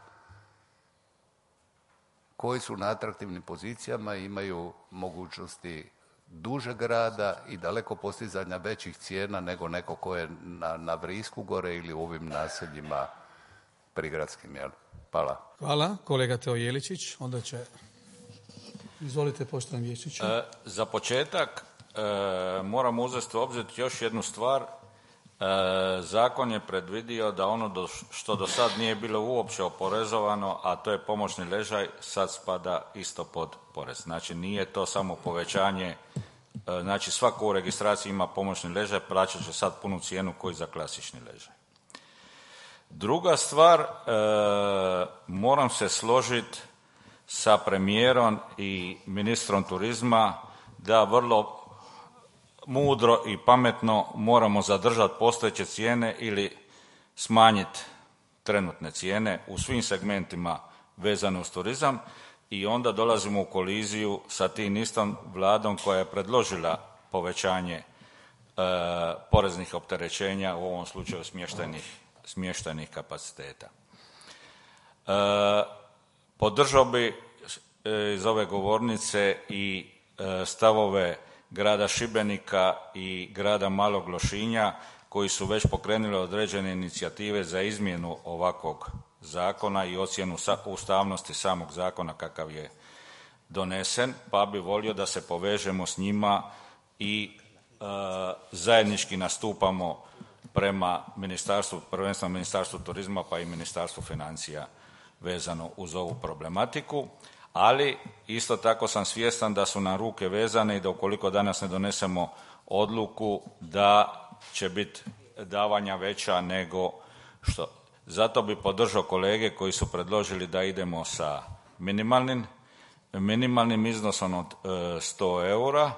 koji su na atraktivnim pozicijama i imaju mogućnosti dužeg rada i daleko postizanja većih cijena nego neko ko je na Vrisku gore ili u ovim naseljima prigradskim. Jel? Hvala. Hvala. Kolega Teo Jeličić, onda će... Izvolite, poštovani vijećniče. Za početak moramo uzeti u obzir još jednu stvar. Zakon je predvidio da ono što do sad nije bilo uopće oporezovano, a to je pomoćni ležaj, sad spada isto pod porez. Znači nije to samo povećanje, znači svako u registraciji ima pomoćni ležaj, plaćat će sad punu cijenu koji za klasični ležaj. Druga stvar, moram se složiti sa premijerom i ministrom turizma da vrlo mudro i pametno moramo zadržati postojeće cijene ili smanjiti trenutne cijene u svim segmentima vezano uz turizam i onda dolazimo u koliziju sa tim istom vladom koja je predložila povećanje poreznih opterećenja, u ovom slučaju smještajnih kapaciteta. Podržao bi iz ove govornice i stavove grada Šibenika i grada Malog Lošinja koji su već pokrenuli određene inicijative za izmjenu ovakvog zakona i ocjenu ustavnosti samog zakona kakav je donesen, pa bi volio da se povežemo s njima i zajednički nastupamo prema ministarstvu, prvenstveno Ministarstvu turizma pa i Ministarstvu financija vezano uz ovu problematiku, ali isto tako sam svjestan da su nam ruke vezane i da ukoliko danas ne donesemo odluku da će biti davanja veća nego što. Zato bi podržao kolege koji su predložili da idemo sa minimalnim iznosom od 100 eura,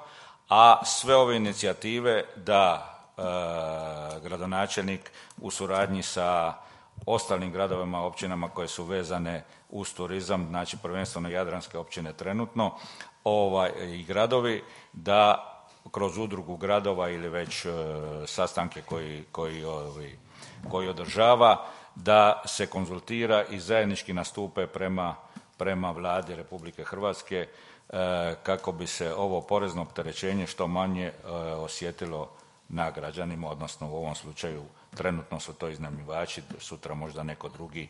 a sve ove inicijative da gradonačelnik u suradnji sa ostalim gradovima, općinama koje su vezane uz turizam, znači prvenstveno jadranske općine trenutno, i gradovi, da kroz udrugu gradova ili već sastanke koji održava, da se konzultira i zajednički nastupe prema Vladi Republike Hrvatske kako bi se ovo porezno opterećenje što manje osjetilo na građanima, odnosno u ovom slučaju trenutno su to iznajmljivači, sutra možda neko drugi,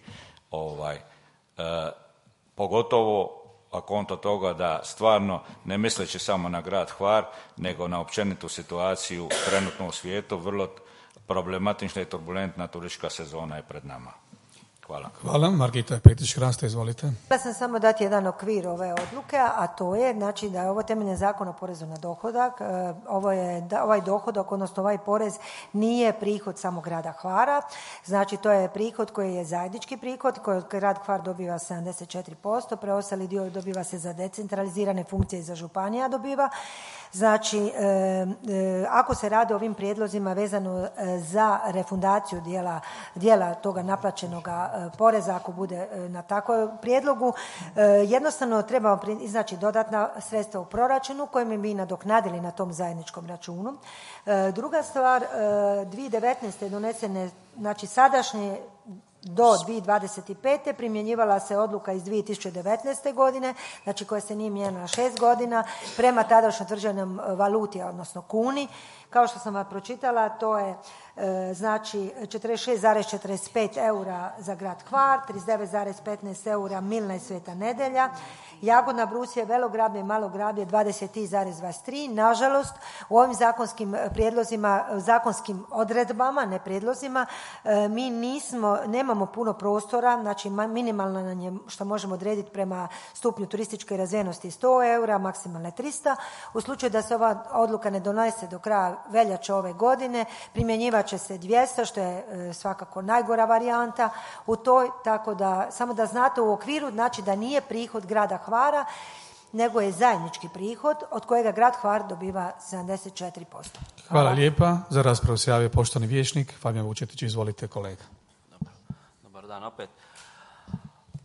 pogotovo a konto toga da stvarno, ne misleći samo na grad Hvar, nego na općenitu situaciju trenutno u svijetu, vrlo problematična i turbulentna turistička sezona je pred nama. Hvala. Hvala. Margita Petrić-Hrasta, izvolite. Ja sam samo dati jedan okvir ove odluke, a to je znači da je ovo temeljem Zakona o porezu na dohodak. Ovaj dohodak, odnosno ovaj porez nije prihod samo grada Hvara. Znači to je prihod koji je zajednički prihod, koji grad Hvar dobiva 74%, preostali dio dobiva se za decentralizirane funkcije i za županija dobiva. Znači, ako se radi o ovim prijedlozima vezano za refundaciju dijela toga naplaćenog poreza, ako bude na takvom prijedlogu, jednostavno treba iznaći dodatna sredstva u proračunu kojim bi nadoknadili na tom zajedničkom računu. Druga stvar, 2019. donesene, znači sadašnje do 2025. primjenjivala se odluka iz 2019. godine, znači koja se nije mijenjala 6 godina, prema tadašnjoj utvrđenom valuti, odnosno kuni. Kao što sam vam pročitala, to je znači 46,45 eura za grad Hvar, 39,15 eura Milna i Sveta Nedelja, Jagodna, Brusije, Velograbje i Malograbje 23,23. Nažalost, u ovim zakonskim prijedlozima, zakonskim odredbama, ne prijedlozima, mi nemamo puno prostora, znači minimalno nam je što možemo odrediti prema stupnju turističke razvijenosti 100 eura, maksimalne 300. U slučaju da se ova odluka ne donese do kraja veljače ove godine, primjenjivat će se 200, što je svakako najgora varijanta u toj, tako da samo da znate u okviru, znači da nije prihod grada Hvara, nego je zajednički prihod od kojega grad Hvar dobiva 74%. Hvala lijepa. Za raspravu se javio poštovani vijećnik Fabijan Vučetić. Izvolite kolega. Dobar dan opet.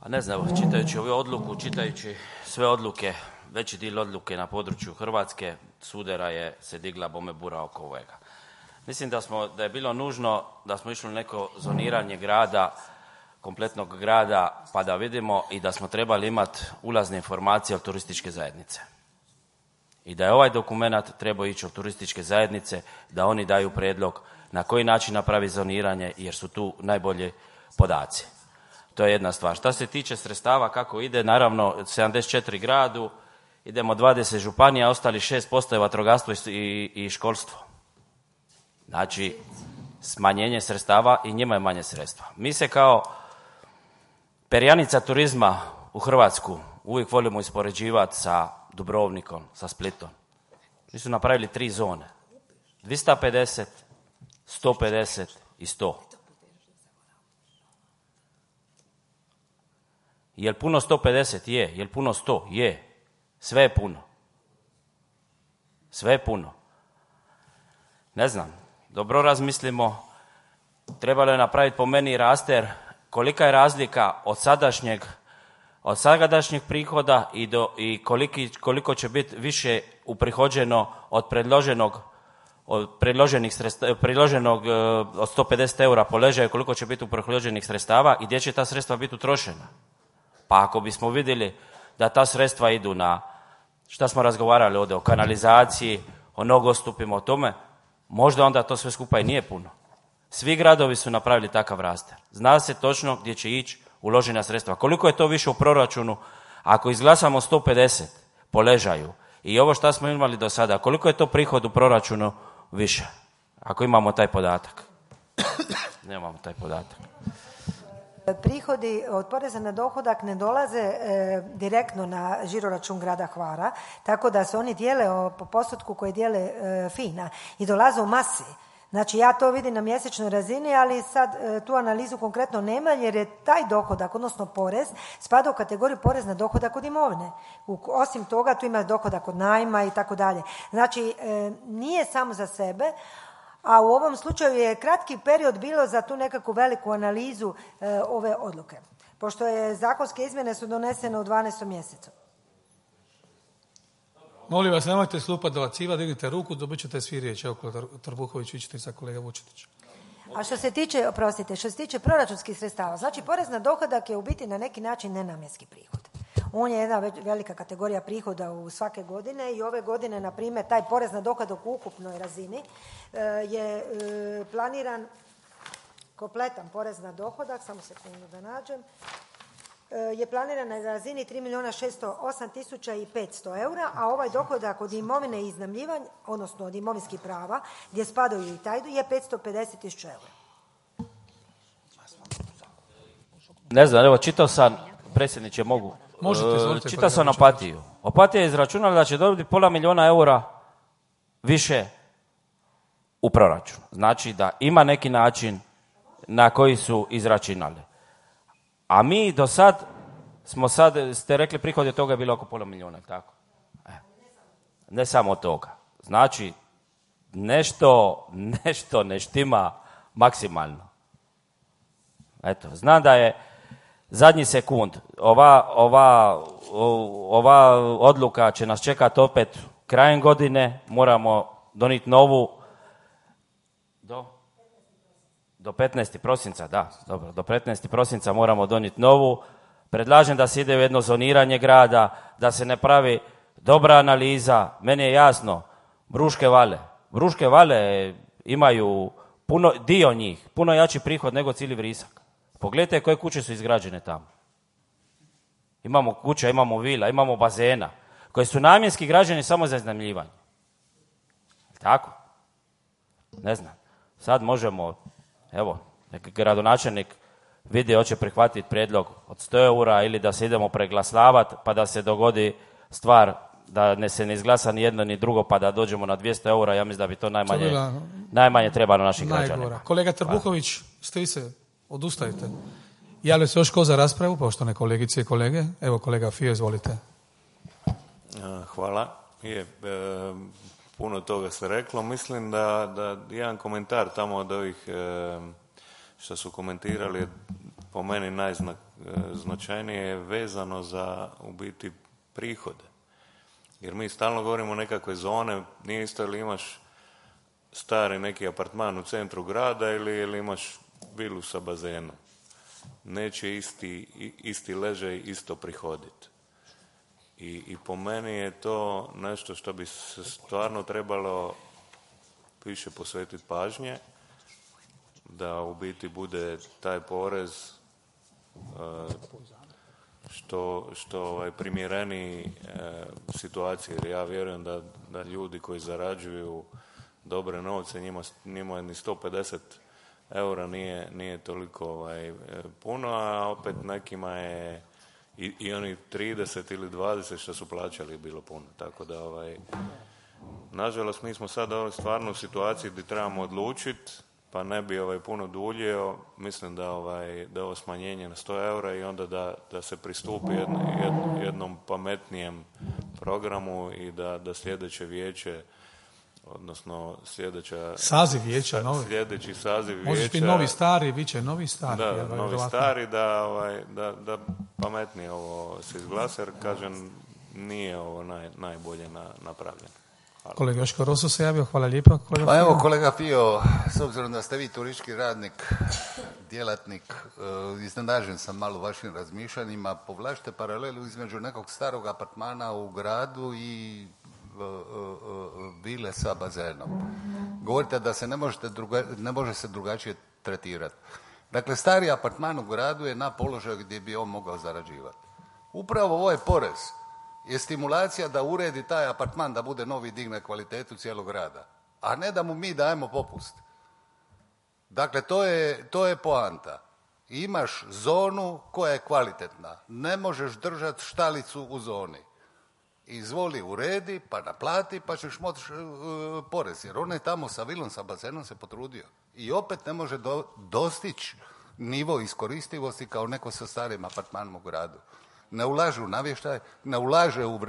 A ne znam, čitajući ovu odluku, čitajući sve odluke, veći dio odluke na području Hrvatske, sudera je se digla bome bura oko ovoga. Mislim da je bilo nužno da smo išli u neko zoniranje grada, kompletnog grada, pa da vidimo i da smo trebali imati ulazne informacije od turističke zajednice. I da je ovaj dokumenat trebao ići od turističke zajednice, da oni daju prijedlog na koji način napravi zoniranje, jer su tu najbolji podaci. To je jedna stvar. Šta se tiče sredstava, kako ide, naravno 74 gradu, idemo 20 županija, ostali 6% je vatrogastvo i školstvo. Znači, smanjenje sredstava i njima je manje sredstva. Mi se kao perjanica turizma u Hrvatsku uvijek volimo ispoređivati sa Dubrovnikom, sa Splitom. Mi su napravili 3 zone. 250, 150 i 100. Jel puno 150? Je. Jel puno 100? Je. Sve je puno. Sve je puno. Ne znam, dobro razmislimo. Trebalo je napraviti po meni raster kolika je razlika od sadašnjeg prihoda i koliko će biti više uprihođeno od predloženog od 150 eura po ležaju, koliko će biti uprihođenih sredstava i gdje će ta sredstva biti utrošena. Pa ako bismo vidjeli da ta sredstva idu na, šta smo razgovarali ovdje, o kanalizaciji, o nogostupima, o tome, možda onda to sve skupa i nije puno. Svi gradovi su napravili takav raster. Zna se točno gdje će ići uložena sredstva. Koliko je to više u proračunu? Ako izglasamo 150 po ležaju i ovo što smo imali do sada, koliko je to prihod u proračunu više? Ako imamo taj podatak. Nemamo taj podatak. Prihodi od poreza na dohodak ne dolaze direktno na žiroračun grada Hvara, tako da se oni dijele po postotku koji dijele FINA i dolaze u masi. Znači ja to vidim na mjesečnoj razini, ali sad tu analizu konkretno nema jer je taj dohodak, odnosno porez, spada u kategoriju porez na dohodak od imovine. Osim toga tu ima dohodak od najma i tako dalje. Znači nije samo za sebe, a u ovom slučaju je kratki period bilo za tu nekakvu veliku analizu ove odluke, pošto je zakonske izmjene su donesene u 12. mjesecu. Molim vas, nemojte slupati dovaciva, dignite ruku, dobit ćete svi riječ. Evo, Trbuhović, vi ćete sa kolega Vučetić. A što se tiče proračunskih sredstava, znači porez na dohodak je u biti na neki način nenamjenski prihod. On je jedna velika kategorija prihoda u svake godine i ove godine, na primjer, taj porez na dohodak u ukupnoj razini je planiran kompletan porez na dohodak, samo sekundu da nađem, je planiran na razini 3.608.500 eura, a ovaj dohodak od imovine i iznajmljivanja, odnosno od imovinskih prava, gdje spadaju i taj je 550.000 eura. Ne znam, evo čitao sam, predsjedniče mogu, čitao sam Opatiju. Opatija je izračunala da će dobiti $500,000 eura više u proračun. Znači da ima neki način na koji su izračunali. A mi do sad ste rekli prihod od toga je bilo oko $500,000, tako? Ne samo toga. Znači, nešto ne štima maksimalno. Eto, znam da je zadnji sekund. Ova odluka će nas čekati opet krajem godine. Moramo donijeti novu do 15. prosinca, da, dobro, do 15. prosinca moramo donijeti novu. Predlažem da se ide u jedno zoniranje grada, da se ne pravi dobra analiza. Meni je jasno, Bruške vale imaju dio njih, puno jači prihod nego cijeli Vrisak. Pogledajte koje kuće su izgrađene tamo. Imamo kuća, imamo vila, imamo bazena, koje su namjenski građeni samo za iznajmljivanje. Tako? Ne znam. Sad možemo, evo, neki gradonačelnik vidi hoće prihvatiti prijedlog od 100 eura ili da se idemo preglasavati pa da se dogodi stvar da se ne izglasa ni jedno ni drugo pa da dođemo na 200 eura. Ja mislim da bi to najmanje trebalo naših građana. Kolega Trbuhović, ste vi se odustajete? Javlja se još ko za raspravu, poštovane kolegice i kolege? Evo kolega Fio, izvolite. Hvala. Puno toga se reklo. Mislim da jedan komentar tamo od ovih što su komentirali je po meni najznačajnije vezano za u biti prihode. Jer mi stalno govorimo o nekakve zone, nije isto ili imaš stari neki apartman u centru grada ili imaš vilu sa bazenom. Neće isti ležaj isto prihoditi. I po meni je to nešto što bi se stvarno trebalo više posvetiti pažnje, da u biti bude taj porez što primjereniji situaciji. Jer ja vjerujem da ljudi koji zarađuju dobre novce, njima ni 150 eura nije toliko puno, a opet nekima je i oni 30 ili 20 što su plaćali bilo puno. Tako da nažalost mi smo sad stvarno u situaciji gdje trebamo odlučiti, pa ne bi puno duljio. Mislim da ovo smanjenje na 100 eura i onda da se pristupi jednom pametnijem programu i da sljedeće vijeće, odnosno sljedeći saziv vijeća može biti novi stari, bit će novi stari. Da, novi stari, da pametnije ovo se izglasa, jer kažem nije ovo najbolje napravljeno. Hvala. Kolega Joško Roso se javio, hvala lijepa. Pa evo kolega Fio, s obzirom da ste vi turistički radnik, djelatnik, iznenađen sam malo vašim razmišljanjima, povlačite paralelu između nekog starog apartmana u gradu i vile sa bazenom. Govorite da se ne može se drugačije tretirati. Dakle, stari apartman u gradu je na položaju gdje bi on mogao zarađivati. Upravo ovaj porez je stimulacija da uredi taj apartman da bude novi, digne kvalitetu cijelog grada, a ne da mu mi dajemo popust. Dakle, to je poanta. imaš zonu koja je kvalitetna. Ne možeš držati štalicu u zoni. Izvoli, uredi, pa naplati, pa ćeš moći porez. Jer on je tamo sa vilom, sa bazenom se potrudio. I opet ne može dostići nivo iskoristivosti kao neko sa starim apartmanom u gradu. Ne ulaže u navještaj, ne ulaže u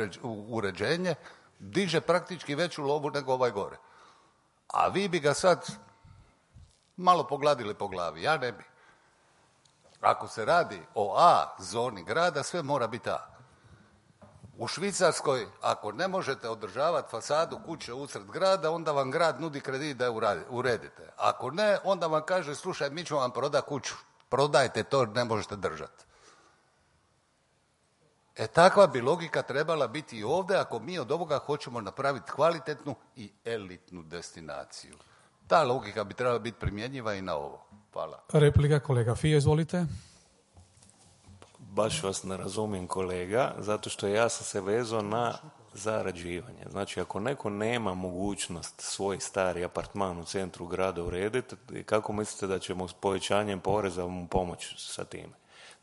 uređenje, diže praktički veću lovu nego ovaj gore. A vi bi ga sad malo pogladili po glavi. Ja ne bi. Ako se radi o A zoni grada, sve mora biti A. U Švicarskoj, ako ne možete održavati fasadu kuće usred grada, onda vam grad nudi kredit da je uredite. Ako ne, onda vam kaže, slušaj, mi ćemo vam prodati kuću. Prodajte to, ne možete držati. Takva bi logika trebala biti i ovdje ako mi od ovoga hoćemo napraviti kvalitetnu i elitnu destinaciju. Ta logika bi trebala biti primjenjiva i na ovo. Hvala. Replika, kolega Fio, izvolite. Baš vas ne razumijem, kolega, zato što ja sam se vezao na zarađivanje. Znači, ako neko nema mogućnost svoj stari apartman u centru grada urediti, kako mislite da ćemo s povećanjem poreza mu pomoći sa time?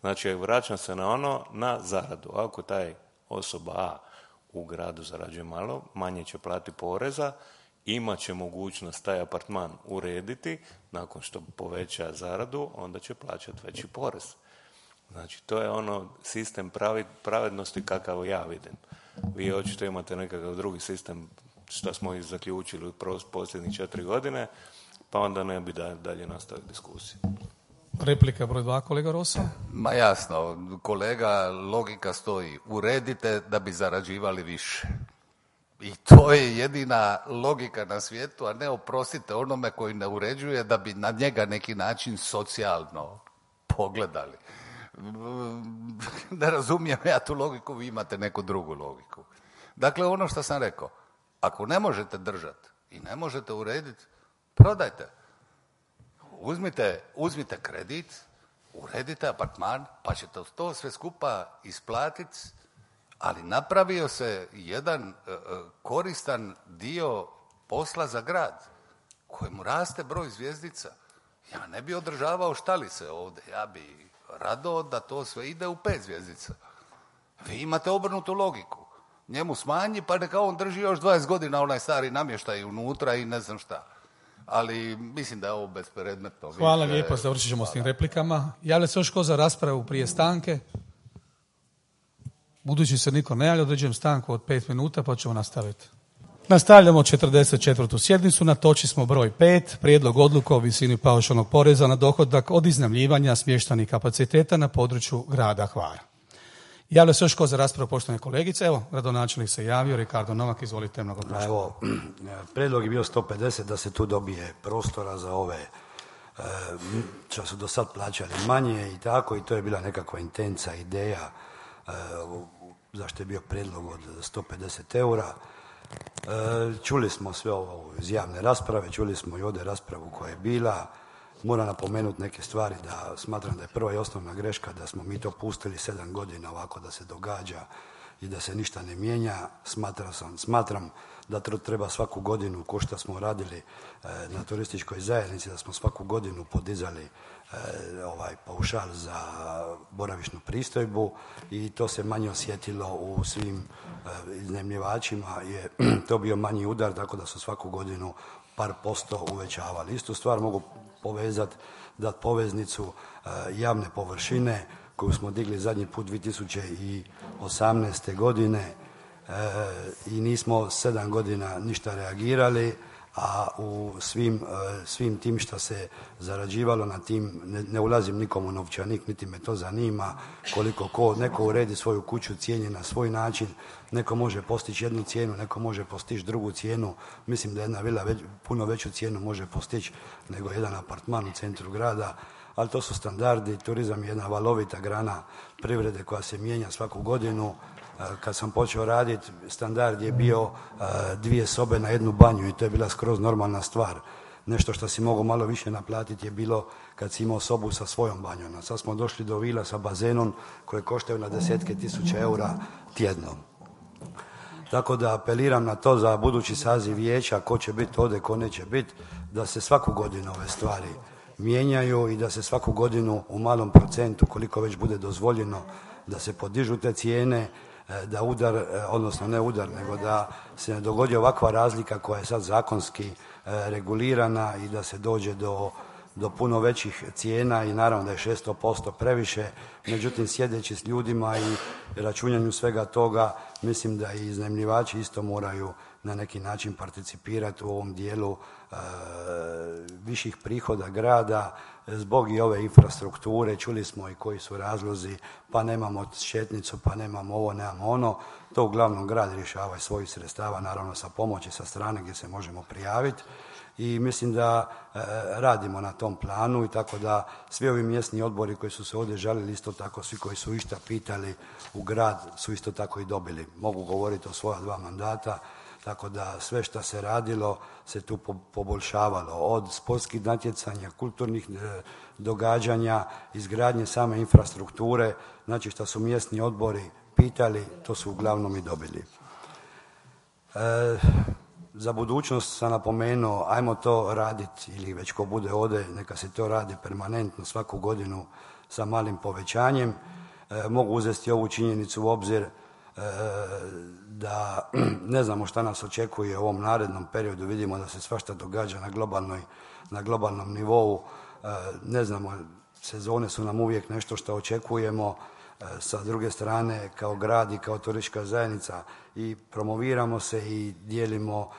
Znači, vraćam se na zaradu. Ako taj osoba A u gradu zarađuje malo, manje će platiti poreza, imat će mogućnost taj apartman urediti, nakon što poveća zaradu, onda će plaćati veći porez. Znači, to je sistem pravednosti kakav ja vidim. Vi očito imate nekakav drugi sistem, što smo i zaključili u posljednjih 4 godine, pa onda ne bi dalje nastavili diskusiju. Replika broj 2, kolega Rosa. Ma jasno, kolega, logika stoji. Uredite da bi zarađivali više. I to je jedina logika na svijetu, a ne oprostite onome koji ne uređuje da bi na njega neki način socijalno pogledali. Ne razumijem ja tu logiku, vi imate neku drugu logiku. Dakle, ono što sam rekao, ako ne možete držati i ne možete urediti, prodajte. Uzmite kredit, uredite apartman, pa ćete to sve skupa isplatiti, ali napravio se jedan koristan dio posla za grad, kojemu raste broj zvjezdica. Ja ne bi održavao štalice ovdje, ja bi rado da to sve ide u 5 zvjezdica. Vi imate obrnutu logiku. Njemu smanji, pa neka on drži još 20 godina onaj stari namještaj unutra i ne znam šta. Ali mislim da je ovo bespredmetno. Hvala lijepo, završit ćemo s tim replikama. Javlja se još ko za raspravu prije stanke? Budući se niko ne javlja, određujem stanku od 5 minuta pa ćemo nastaviti. Nastavljamo 44. sjednicu, na točki smo broj 5, prijedlog odluke o visini paušalnog poreza na dohodak od iznajmljivanja smještajnih kapaciteta na području grada Hvara. Javlja se još ko za raspravu, poštovane kolegice. Evo, gradonačelnik se javio, Ricardo Novak, izvolite. Evo, prijedlog je bio 150 da se tu dobije prostora za ove što su do sad plaćali manje i tako, i to je bila nekakva intenca, ideja zašto je bio prijedlog od 150 eura. Čuli smo sve ovo iz javne rasprave, čuli smo i ovdje raspravu koja je bila. Moram napomenuti neke stvari da smatram da je prva i osnovna greška da smo mi to pustili 7 godina ovako da se događa i da se ništa ne mijenja. Smatram da treba svaku godinu, ko što smo radili na turističkoj zajednici, da smo svaku godinu podizali paušal za boravišnu pristojbu i to se manje osjetilo u svim iznajmljivačima, je to bio manji udar, tako da su svaku godinu par posto uvećavali. Istu stvar mogu povezati, dati poveznicu javne površine koju smo digli zadnji put 2018. godine i nismo 7 godina ništa reagirali, a u svim tim što se zarađivalo na tim, ne ulazim nikom u novčanik, niti me to zanima, koliko neko uredi svoju kuću, cijeni na svoj način, neko može postići jednu cijenu, neko može postići drugu cijenu. Mislim da jedna vila puno veću cijenu može postići nego jedan apartman u centru grada, ali to su standardi. Turizam je jedna valovita grana privrede koja se mijenja svaku godinu. Kad sam počeo raditi, standard je bio 2 sobe na 1 banju i to je bila skroz normalna stvar. Nešto što si mogao malo više naplatiti je bilo kad si imao sobu sa svojom banjom. A sad smo došli do vila sa bazenom koje koštaju na desetke tisuća eura tjedno. Tako da apeliram na to za budući saziv vijeća, ko će biti ovdje, ko neće biti, da se svaku godinu ove stvari mijenjaju i da se svaku godinu u malom procentu, koliko već bude dozvoljeno, da se podižu te cijene, da udar, odnosno ne udar, nego da se ne dogodi ovakva razlika koja je sad zakonski regulirana i da se dođe do puno većih cijena i naravno da je 600% previše, međutim sjedeći s ljudima i računanju svega toga, mislim da i iznajmljivači isto moraju na neki način participirati u ovom dijelu viših prihoda grada zbog i ove infrastrukture. Čuli smo i koji su razlozi, pa nemamo šetnicu, pa nemamo ovo, nemamo ono. To uglavnom grad rješava iz svojih sredstava, naravno sa pomoći sa strane gdje se možemo prijaviti. I mislim da radimo na tom planu i tako da svi ovi mjesni odbori koji su se ovdje žalili, isto tako svi koji su išta pitali u grad su isto tako i dobili. Mogu govoriti o svoja 2 mandata, tako da sve što se radilo se tu poboljšavalo. Od sportskih natjecanja, kulturnih događanja, izgradnje same infrastrukture, znači što su mjesni odbori pitali, to su uglavnom i dobili. Za budućnost sam napomenuo, ajmo to raditi, ili već ko bude ovdje, neka se to radi permanentno svaku godinu sa malim povećanjem. Mogu uzeti ovu činjenicu u obzir da ne znamo šta nas očekuje u ovom narednom periodu, vidimo da se svašta događa na globalnom nivou, ne znamo, sezone su nam uvijek nešto što očekujemo, sa druge strane kao grad i kao turistička zajednica i promoviramo se i dijelimo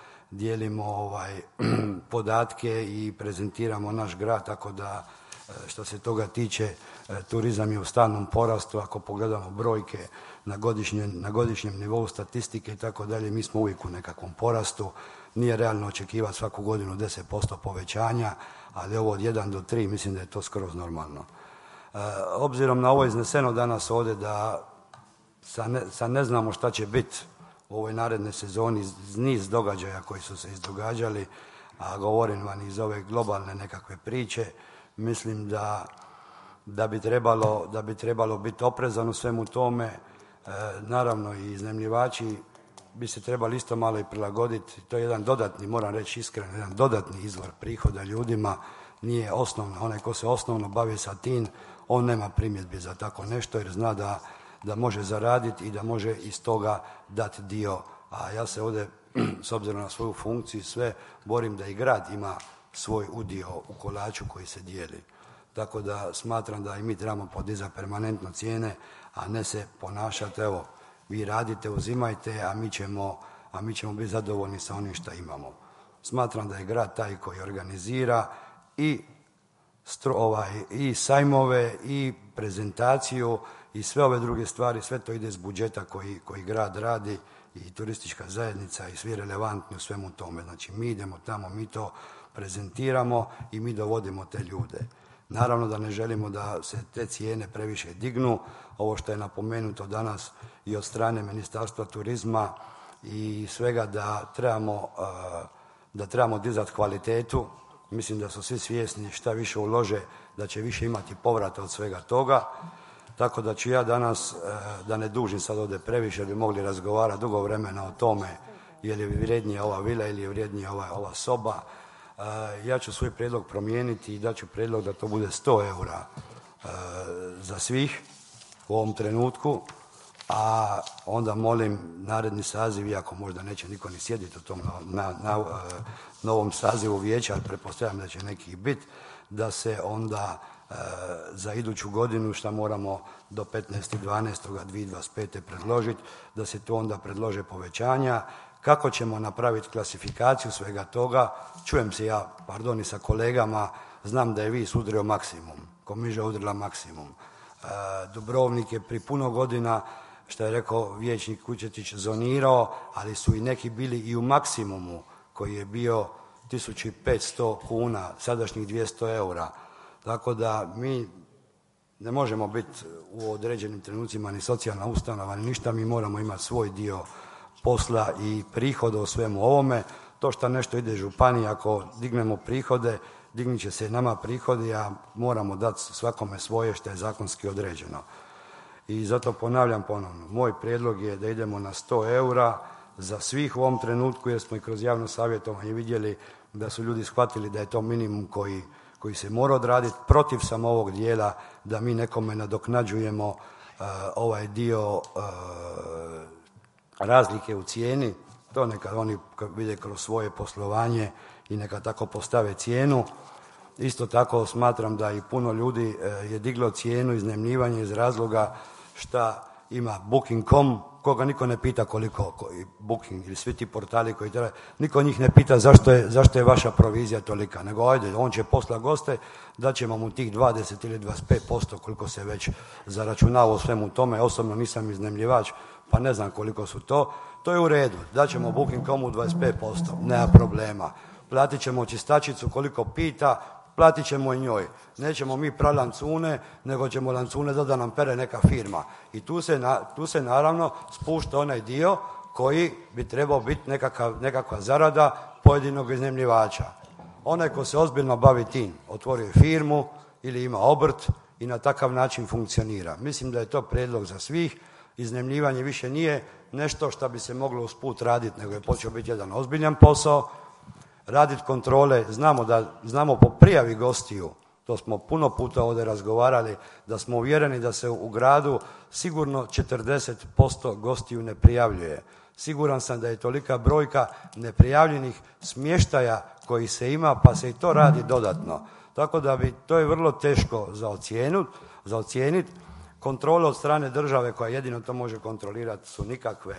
podatke i prezentiramo naš grad, tako da što se toga tiče turizam je u stalnom porastu. Ako pogledamo brojke na godišnjem nivou statistike i tako dalje, mi smo uvijek u nekakvom porastu. Nije realno očekivati svaku godinu 10% povećanja, ali ovo od 1 do 3 mislim da je to skroz normalno. Obzirom na ovo izneseno danas ovdje da sad ne znamo šta će biti u ovoj narednoj sezoni, niz događaja koji su se izdogađali, a govorim vam iz ove globalne nekakve priče, mislim da bi trebalo biti oprezan u svemu tome. Naravno i iznajmljivači bi se trebali isto malo i prilagoditi. To je jedan dodatni, moram reći iskreno, jedan dodatni izvor prihoda ljudima. Nije osnovno, onaj ko se osnovno bavi sa tim, on nema primjedbi za tako nešto jer zna da može zaraditi i da može iz toga dati dio. A ja se ovdje, s obzirom na svoju funkciju, sve borim da i grad ima svoj udio u kolaču koji se dijeli. Tako da smatram da i mi trebamo podizati permanentno cijene, a ne se ponašati, evo, vi radite, uzimajte, a mi ćemo biti zadovoljni sa onim što imamo. Smatram da je grad taj koji organizira i sajmove i prezentaciju i sve ove druge stvari, sve to ide iz budžeta koji grad radi i turistička zajednica i svi relevantni u svemu tome. Znači mi idemo tamo, mi to prezentiramo i mi dovodimo te ljude. Naravno da ne želimo da se te cijene previše dignu. Ovo što je napomenuto danas i od strane Ministarstva turizma i svega da trebamo dizati kvalitetu. Mislim da su svi svjesni šta više ulože, da će više imati povrata od svega toga. Tako da ću ja danas, da ne dužim sad ovdje previše, jer bi mogli razgovarati dugo vremena o tome je li vrijednija ova vila ili je vrijednija ova soba. Ja ću svoj prijedlog promijeniti i daću prijedlog da to bude 100 eura za svih u ovom trenutku, a onda molim naredni saziv, iako možda neće niko ni sjediti u tom novom sazivu vijeća, ali pretpostavljam da će neki biti, da se onda za iduću godinu, što moramo do 15.12.2025. predložiti, da se tu onda predlože povećanja. Kako ćemo napraviti klasifikaciju svega toga? Čujem se ja, i sa kolegama, znam da je Vis udrio maksimum, Komiža udrila maksimum. Dubrovnik je pri puno godina, što je rekao vijećnik Kučetić, zonirao, ali su i neki bili i u maksimumu koji je bio 1500 kuna, sadašnjih 200 eura. Tako da mi ne možemo biti u određenim trenucima ni socijalna ustanova, ni ništa, mi moramo imati svoj dio posla i prihoda o svemu ovome. To što nešto ide županiji, ako dignemo prihode, dignit će se nama prihodi, a moramo dati svakome svoje što je zakonski određeno. I zato ponavljam ponovno, moj prijedlog je da idemo na 100 eura za svih u ovom trenutku, jer smo i kroz javno savjetovanje vidjeli da su ljudi shvatili da je to minimum koji se mora odraditi. Protiv sam ovog dijela da mi nekome nadoknađujemo ovaj dio razlike u cijeni. To neka oni vide kroz svoje poslovanje i neka tako postave cijenu. Isto tako smatram da i puno ljudi je diglo cijenu iznajmljivanja iz razloga šta ima Booking.com, koga niko ne pita koliko Booking ili svi ti portali koji treba, niko njih ne pita zašto je vaša provizija tolika, nego ajde, on će posla goste, da ćemo mu tih 20 ili 25% koliko se već zaračunava u svemu tome. Osobno nisam iznajmljivač, pa ne znam koliko su to. To je u redu, da ćemo Booking.comu 25%, nema problema. Platit ćemo čistačicu koliko pita, platit ćemo i njoj. Nećemo mi prati lancune, nego ćemo lancune da nam pere neka firma. I tu se naravno spušta onaj dio koji bi trebao biti nekakva zarada pojedinog iznajmljivača. Onaj ko se ozbiljno bavi tim, otvorio je firmu ili ima obrt i na takav način funkcionira. Mislim da je to prijedlog za svih. Iznajmljivanje više nije nešto što bi se moglo usput raditi, nego je počeo biti jedan ozbiljan posao. Raditi kontrole, znamo po prijavi gostiju, to smo puno puta ovdje razgovarali, da smo uvjereni da se u gradu sigurno 40% gostiju ne prijavljuje. Siguran sam da je tolika brojka neprijavljenih smještaja koji se ima, pa se i to radi dodatno. Tako da to je vrlo teško za ocijeniti. Kontrole od strane države koja jedino to može kontrolirati su nikakve,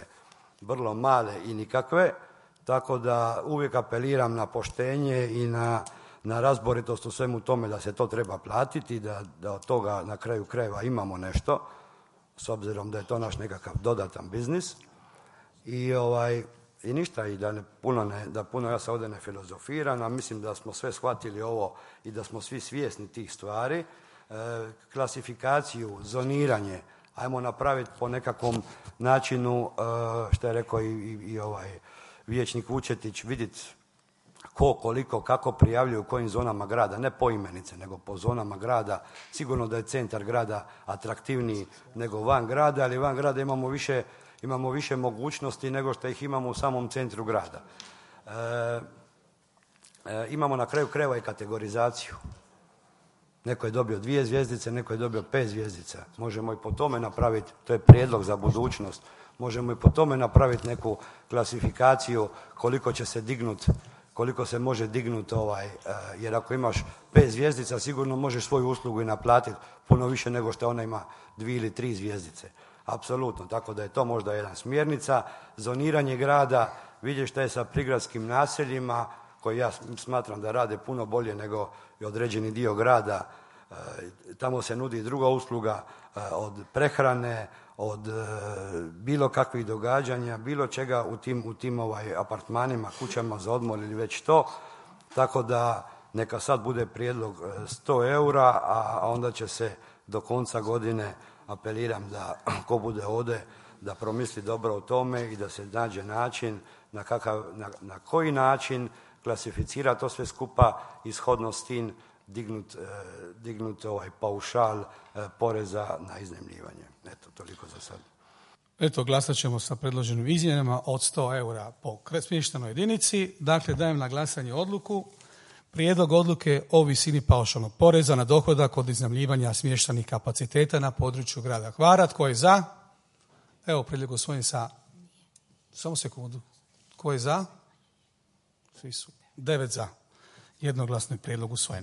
vrlo male i nikakve. Tako da uvijek apeliram na poštenje i na razboritost u svemu tome da se to treba platiti, da od toga na kraju krajeva imamo nešto, s obzirom da je to naš nekakav dodatan biznis. I ništa, i da puno ja se ovdje ne filozofiram, a mislim da smo sve shvatili ovo i da smo svi svjesni tih stvari. Klasifikaciju, zoniranje, ajmo napraviti po nekakvom načinu, što je rekao i vijećnik Vučetić, vidjeti ko, koliko, kako prijavljuje u kojim zonama grada, ne po imenice, nego po zonama grada. Sigurno da je centar grada atraktivniji nego van grada, ali van grada imamo više mogućnosti nego što ih imamo u samom centru grada. Imamo na kraju krajeva i kategorizaciju. Neko je dobio 2 zvjezdice, neko je dobio 5 zvjezdica. Možemo i po tome napraviti, to je prijedlog za budućnost, možemo i po tome napraviti neku klasifikaciju koliko se može dignuti, jer ako imaš 5 zvjezdica sigurno možeš svoju uslugu i naplatiti puno više nego što ona ima 2 ili 3 zvjezdice. Apsolutno, tako da je to možda jedna smjernica. Zoniranje grada, vidjeti šta je sa prigradskim naseljima, koji ja smatram da rade puno bolje nego i određeni dio grada. Tamo se nudi druga usluga od prehrane, od bilo kakvih događanja, bilo čega u tim apartmanima, kućama za odmor ili već to. Tako da neka sad bude prijedlog 100 eura, a onda će se do konca godine, apeliram da ko bude ovdje, da promisli dobro o tome i da se nađe način na koji način klasificira to sve skupa i shodno s tim dignut paušal poreza na iznajmljivanje. Eto, toliko za sad. Eto, glasat ćemo sa predloženim izmjenama od 100 eura po smještajnoj jedinici. Dakle, dajem na glasanje odluku. Prijedlog odluke o visini paušalnog poreza na dohodak od iznajmljivanja smještajnih kapaciteta na području grada Hvara. Tko je za? Evo, prijedlog usvojen sa... Samo sekundu. Tko je za? Svi su 9 za. Jednoglasno je prijedlog usvojen.